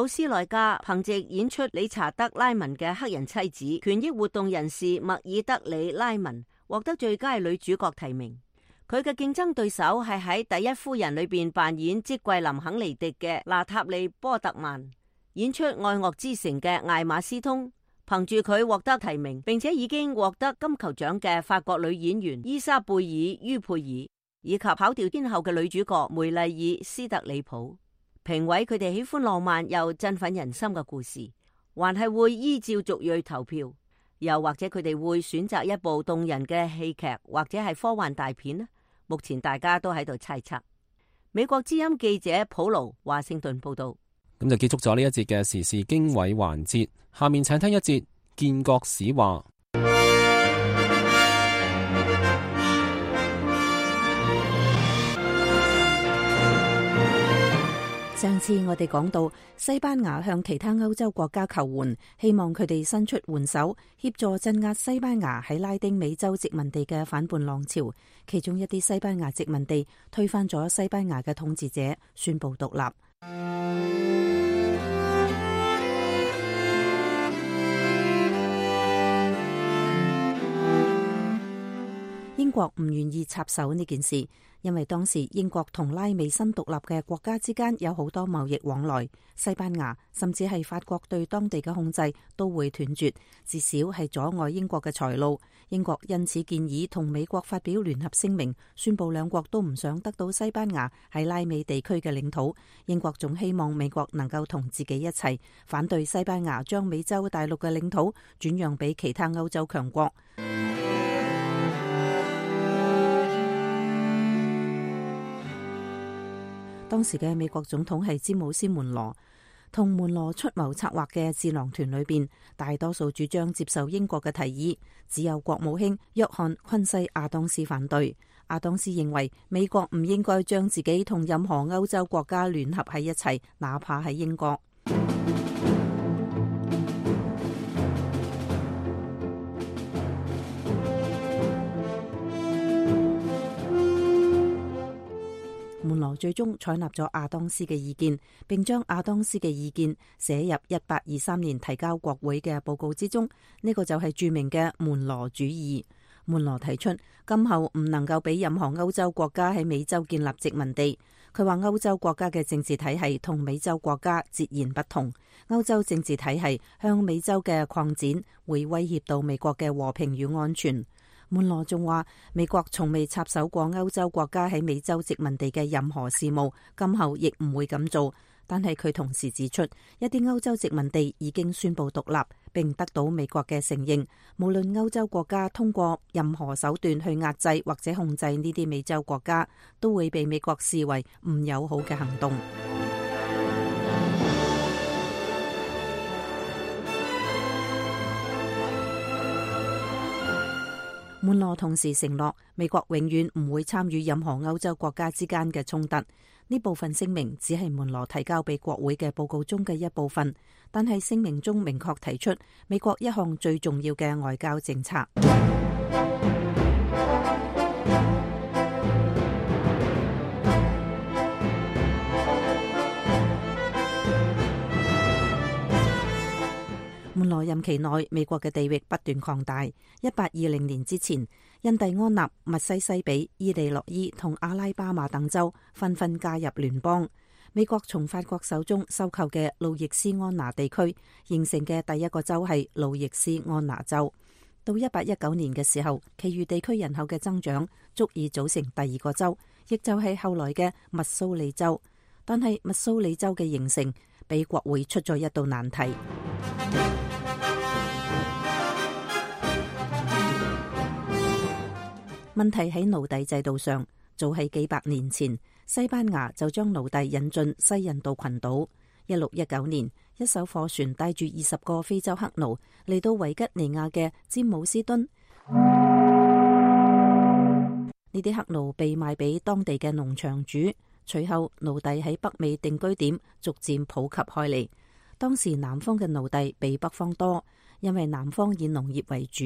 斯萊加憑借演出理查德拉文嘅黑人妻子權益活動人士麥爾德里拉文獲得最佳女主角提名。佢嘅競爭對手係喺《第一夫人》裏邊扮演積桂林肯尼迪嘅娜塔莉波特曼，演出《愛樂之城》嘅艾瑪斯通，憑住佢獲得提名，並且已經獲得金球獎嘅法國女演員伊莎貝爾于佩爾，以及跑調天后嘅女主角梅麗爾斯特里普。評委佢哋喜歡浪漫又振奮人心嘅故事，還係會依照族裔投票，又或者佢哋會選擇一部動人嘅戲劇或者係科幻大片呢？目前大家都喺度猜測。美國之音記者普勞華盛頓報道。咁就結束咗呢一節嘅時事經緯環節，下面請聽一節建國史話。上次我哋講到西班牙向其他歐洲國家求援，希望佢哋伸出援手，協助鎮壓西班牙喺拉丁美洲殖民地嘅反叛浪潮。其中一啲西班牙殖民地推翻咗西班牙嘅統治者，宣布獨立。英國唔願意插手呢件事，因為當時英國同拉美新獨立嘅國家之間有好多貿易往來，西班牙甚至係法國對當地嘅控制都會斷絕，至少係阻礙英國嘅財路。英國因此建議同美國發表聯合聲明，宣布兩國都唔想得到西班牙喺拉美地區嘅領土。英國仲希望美國能夠同自己一齊反對西班牙將美洲大陸嘅領土轉讓俾其他歐洲強國。當時嘅美國總統係詹姆斯門羅，同門羅出謀策劃嘅智囊團裏邊，大多數主張接受英國嘅提議，只有國務卿約翰昆西亞當斯反對。亞當斯認為美國唔應該將自己同任何歐洲國家聯合喺一齊，哪怕係英國。門羅最終採納咗亞當斯嘅意見，並將亞當斯嘅意見寫入1823年提交國會嘅報告之中。呢個就係著名嘅門羅主義。門羅提出，今後唔能夠俾任何歐洲國家喺美洲建立殖民地。佢話歐洲國家嘅政治體系同美洲國家截然不同，歐洲政治體系向美洲嘅擴展會威脅到美國嘅和平與安全。門羅仲話，美國從未插手過歐洲國家喺美洲殖民地嘅任何事務，今後亦唔會咁做。但係佢同時指出，一啲歐洲殖民地已經宣布獨立，並得到美國嘅承認。無論歐洲國家通過任何手段去壓制或者控制呢啲美洲國家，都會被美國視為唔友好嘅行動。門羅同時承諾，美國永遠唔會參與任何歐洲國家之間嘅衝突。呢部分聲明只係門羅提交俾國會嘅報告中嘅一部分，但係聲明中明確提出美國一項最重要嘅外交政策。門羅任期內，美國嘅地域不斷擴大。1820年之前，印第安納、密西西比、伊利諾伊同阿拉巴馬等州紛紛加入聯邦。美國從法國手中收購嘅路易斯安那地區形成嘅第一個州係路易斯安那州。到1819年嘅時候，其餘地區人口嘅增長足以組成第二個州，亦就係後來嘅密蘇里州。但係密蘇里州嘅形成俾國會出咗一道難題。問題喺奴隸制度上，早喺幾百年前，西班牙就將奴隸引進西印度群島。1619年，一艘貨船帶住20個非洲黑奴嚟到維吉尼亞嘅詹姆斯敦。呢啲黑奴被賣俾當地嘅農場主，隨後奴隸喺北美定居點逐漸普及開嚟。當時南方嘅奴隸比北方多，因為南方以農業為主。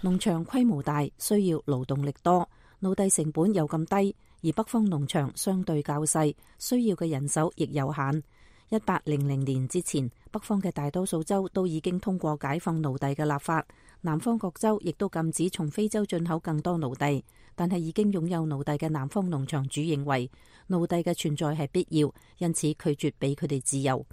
農場規模大，需要勞動力多，奴隸成本又咁低，而北方農場相對較細，需要嘅人手亦有限。1800年之前，北方嘅大多數州都已經通過解放奴隸嘅立法，南方各州亦都禁止從非洲進口更多奴隸。但係已經擁有奴隸嘅南方農場主認為奴隸嘅存在係必要，因此拒絕俾佢哋自由。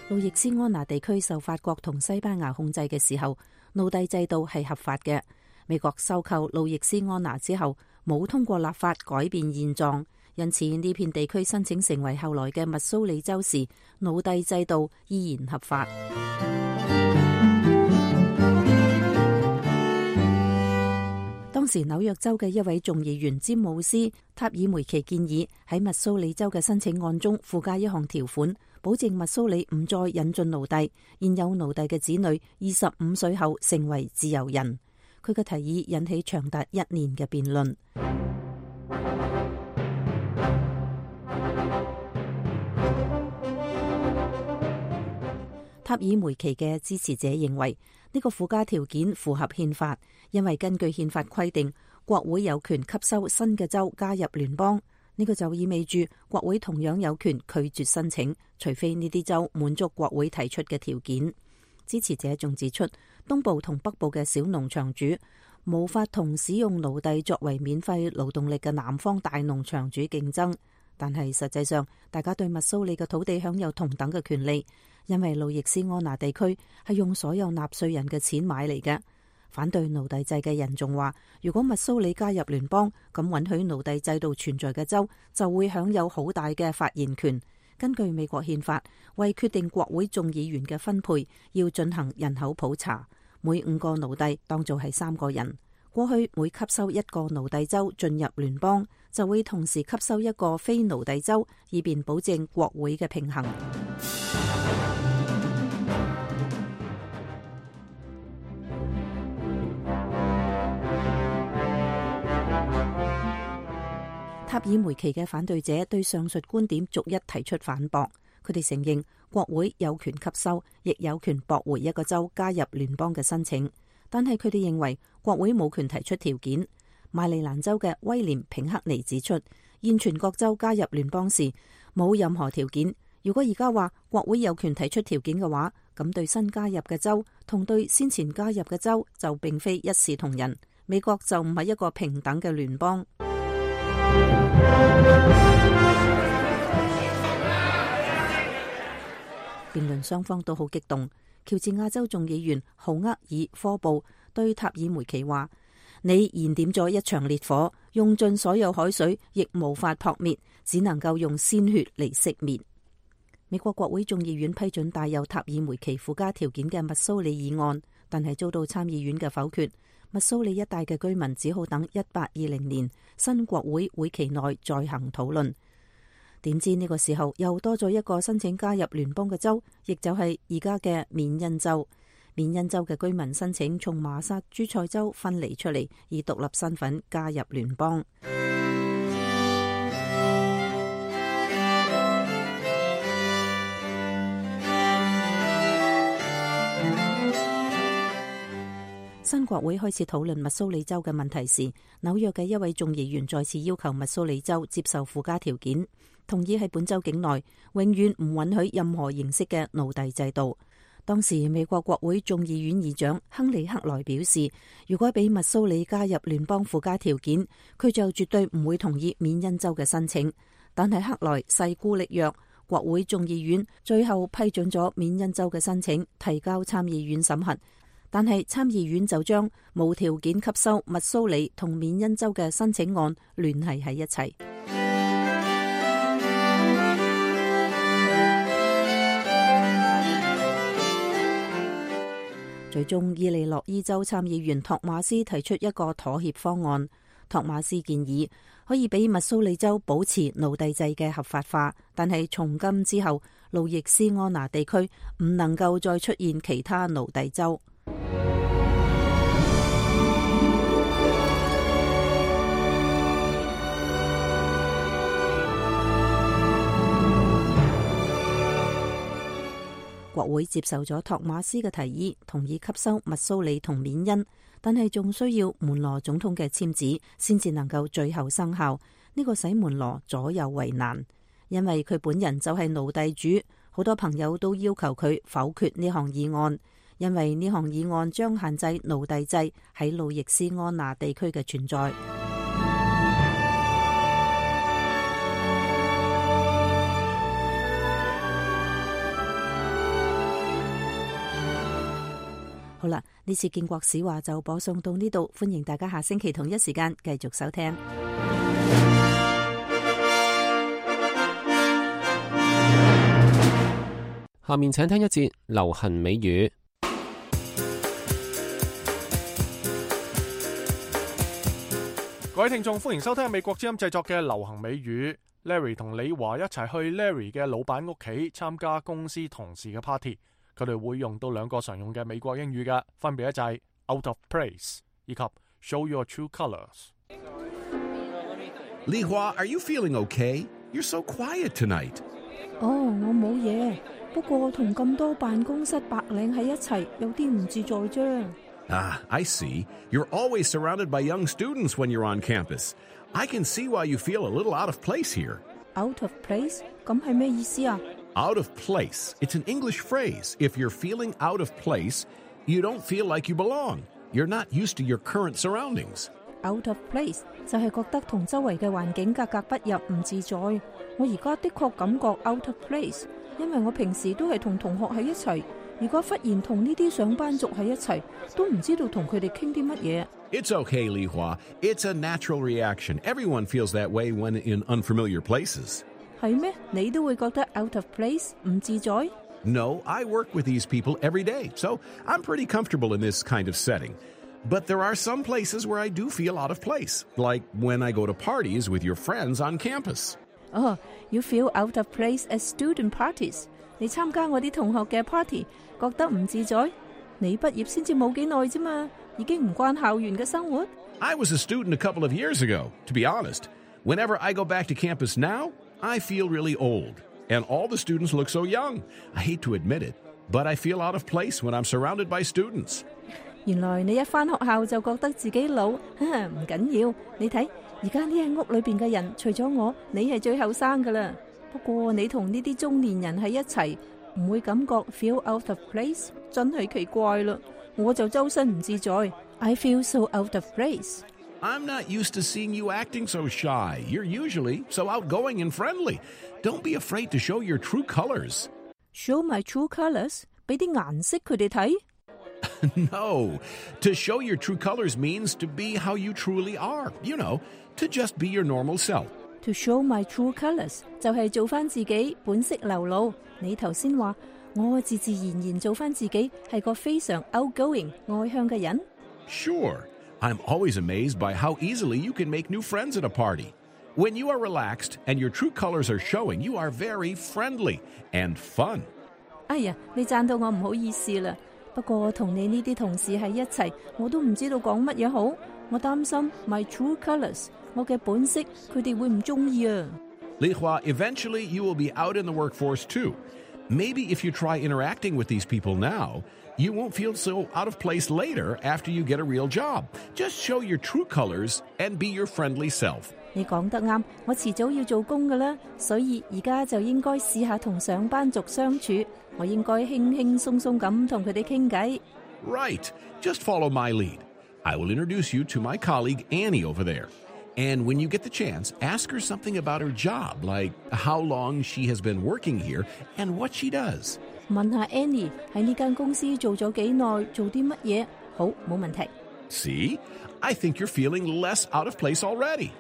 路易斯安那地區受法國同西班牙控制嘅時候，奴隸制度係合法嘅。美國收購路易斯安那之後，冇通過立法改變現狀，因此呢片地區申請成為後來嘅密蘇里州時，奴隸制度依然合法。當時紐約州嘅一位眾議員詹姆斯塔爾梅奇建議喺密蘇里州嘅申請案中附加一項條款，保證密蘇里唔再引進奴隸，現有奴隸嘅子女25歲後成為自由人。佢嘅提議引起長達1年嘅辯論。塔爾梅奇嘅支持者認為呢個附加條件符合憲法，因為根據憲法規定，國會有權吸收新嘅州加入聯邦。呢個就意味住國會同樣有權拒絕申請，除非呢啲州滿足國會提出嘅條件。支持者仲指出，東部同北部嘅小農場主無法同使用奴隸作為免費勞動力嘅南方大農場主競爭。但係實際上，大家對密蘇里嘅土地享有同等嘅權利，因為路易斯安那地區係用所有納稅人嘅錢買嚟嘅。反對奴隸制嘅人仲話，如果密蘇里加入聯邦，咁允許奴隸制度存在嘅州就會享有好大嘅發言權。根據美國憲法，為決定國會眾議員嘅分配，要進行人口普查，每5個奴隸當做係3個人。過去每吸收1個奴隸州進入聯邦，就會同時吸收1個非奴隸州，以便保證國會嘅平衡。塔爾梅奇嘅反對者對上述觀點逐一提出反駁。佢哋承認國會有權吸收，亦有權駁回一個州加入聯邦嘅申請，但係佢哋認為國會冇權提出條件。馬里蘭州嘅威廉平克尼指出，現全國州加入聯邦時冇任何條件。如果而家話國會有權提出條件嘅話，咁對新加入嘅州同對先前加入嘅州就並非一視同仁。美國就唔係一個平等嘅聯邦。辯論雙方都好激動。喬治亞州眾議員豪厄爾科布對塔爾梅奇話：你燃點咗一場烈火，用盡所有海水亦無法撲滅，只能夠用鮮血嚟熄滅。美國國會眾議院批准帶有塔爾梅奇附加條件嘅密蘇里議案，但係遭到參議院嘅否決。密蘇里一帶嘅居民只好等1820年新國會會期內再行討論。點知呢個時候又多咗一個申請加入聯邦嘅州，亦就係而家嘅緬因州。緬因州嘅居民申請從麻薩諸塞州分離出嚟，以獨立身份加入聯邦。新國會開始討論密蘇里州嘅問題時，紐約嘅一位眾議員再次要求密蘇里州接受附加條件，同意喺本州境內永遠唔允許任何形式嘅奴隸制度。當時美國國會眾議院議長亨利克萊表示，如果俾密蘇里加入聯邦附加條件，佢就絕對唔會同意緬因州嘅申請。但係克萊勢孤力弱，國會眾議院最後批准咗緬因州嘅申請，提交參議院審核。但係參議院就將無條件吸收密蘇里同緬因州嘅申請案聯繫喺一齊。最終，伊利諾伊州參議員托馬斯提出一個妥協方案。托馬斯建議可以俾密蘇里州保持奴隸制嘅合法化，但係從今之後，路易斯安那地區唔能夠再出現其他奴隸州。國會接受咗托馬斯嘅提議，同意吸收密蘇里同緬因，但係仲需要門羅總統嘅簽字，先至能夠最後生效。呢個使門羅左右為難，因為佢本人就係奴隸主。好多朋友都要求佢否決呢項議案，因為呢項議案將限制奴隸制喺路易斯安那地區嘅存在。好啦，呢次建國史話就播送到呢度，歡迎大家下星期同一時間繼續收聽。下面請聽一節流行美語。各位聽眾，歡迎收聽美國之音製作嘅流行美語。Larry 同李華一齊去 Larry 嘅老闆屋企參加公司同事嘅 party， 佢哋會用到兩個常用嘅美國英語嘅，分別就係 out of place 以及 show your true colors。 Li Hua, are you feeling okay? You're so quiet tonight. 我冇嘢，不過同咁多辦公室白領喺一齊，有啲唔自在啫。I see. You're always surrounded by young students when you're on campus. I can see why you feel a little out of place here. Out of place? 咁係咩意思啊？ Out of place. It's an English phrase. If you're feeling out of place, you don't feel like you belong. You're not used to your current surroundings. Out of place 就係覺得同周圍嘅環境格格不入，唔自在。我而家的確感覺 out of place， 因為我平時都係同同學喺一齊，如果忽然同呢啲上班族喺一齊，都唔知道同佢哋傾啲乜嘢。It's okay, Li Hua. It's a natural reaction. Everyone feels that way when in unfamiliar places. 係咩？你都會覺得 out of place 唔自在？ No, I work with these people every day, so I'm pretty comfortable in this kind of setting. But there are some places where I do feel out of place, like when I go to parties with your friends on campus. Oh, you feel out of place at student parties. 你參加我啲同學嘅 party， 覺得唔自在？你畢業先至冇幾耐啫嘛，已經唔慣校園嘅生活。I was a student a couple of years ago, to be honest. Whenever I go back to campus now, I feel really old. And all the students look so young. I hate to admit it, but I feel out of place when I'm surrounded by students. 原來你一返學校就覺得自己老，唔緊要。你睇而家呢間屋裏邊嘅人，除咗我，你係最後生噶啦。不過你同呢啲中年人喺一齊，唔會感覺 feel out of place， 真係奇怪啦。我就周身唔自在。I feel so out of place. I'm not used to seeing you acting so shy. You're usually so outgoing and friendly. Don't be afraid to show your true colors. Show my true colors？ 俾啲顏色佢哋睇。No. To show your true colors means to be how you truly are. You know, to just be your normal self. To show my true colors 就係做翻自己，本色流露。你頭先話我自自然然做翻自己，係個非常 outgoing 外向嘅人。Sure. I'm always amazed by how easily you can make new friends at a party. When you are relaxed and your true colors are showing, you are very friendly and fun. 哎呀，你讚到我唔好意思啦。不過同你呢啲同事喺一齊，我都唔知道講乜嘢好。我擔心 my true colors， 我嘅本色，佢哋會唔中意啊。Li Hua, eventually you will be out in the workforce too. Maybe if you try interacting with these people now, you won't feel so out of place later after you get a real job. Just show your true colors and be your friendly self. 你講得啱，我遲早要做工㗎啦，所以而家就應該試下同上班族相處。我應該輕輕鬆鬆咁同佢哋傾偈。Right. Just follow my lead. I will introduce you to my colleague Annie over there. And when you get the chance, ask her something about her job, like how long she has been working here and what she does. 問下 Annie 喺呢間公司做咗幾耐，做啲乜嘢？好，冇問題。See? I think you're feeling less out of place already.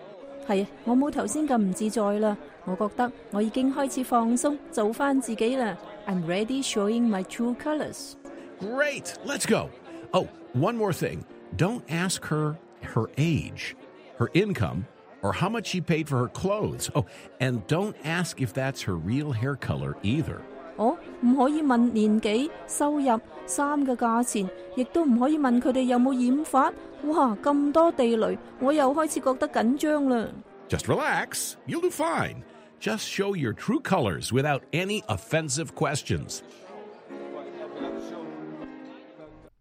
係啊，我冇頭先咁唔自在啦。我覺得我已經開始放鬆，做返自己啦。I'm ready showing my true colors. Great. Let's go. Oh, one more thing. Don't ask her her age, her income, or how much she paid for her clothes. Oh, and don't ask if that's her real hair color either. 我唔可以問年紀、收入、衫嘅價錢，亦都唔可以問佢哋有冇染髮。哇，咁多地雷，我又開始覺得緊張啦。Just relax. You'll do fine. Just show your true colors without any offensive questions.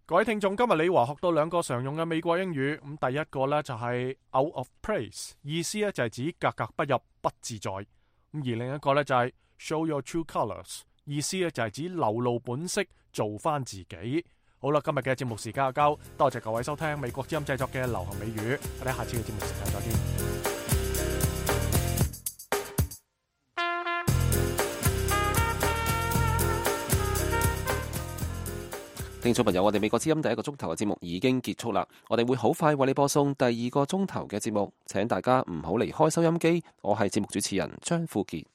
各位聽眾，今日李華學到兩個常用嘅美國英語。咁第一個呢，就係 out of place， 意思呢就係指格格不入、不自在。咁而另一個呢，就係 show your true colors， 意思呢就係指流露本色，做翻自己。好啦，今日嘅節目時間就夠，多謝各位收聽美國之音製作嘅流行美語。我哋下次嘅節目時間再見。聽眾朋友，我哋美國之音第一個鐘頭嘅節目已經結束啦，我哋會好快為你播送第二個鐘頭嘅節目，請大家唔好離開收音機。我係節目主持人張富傑。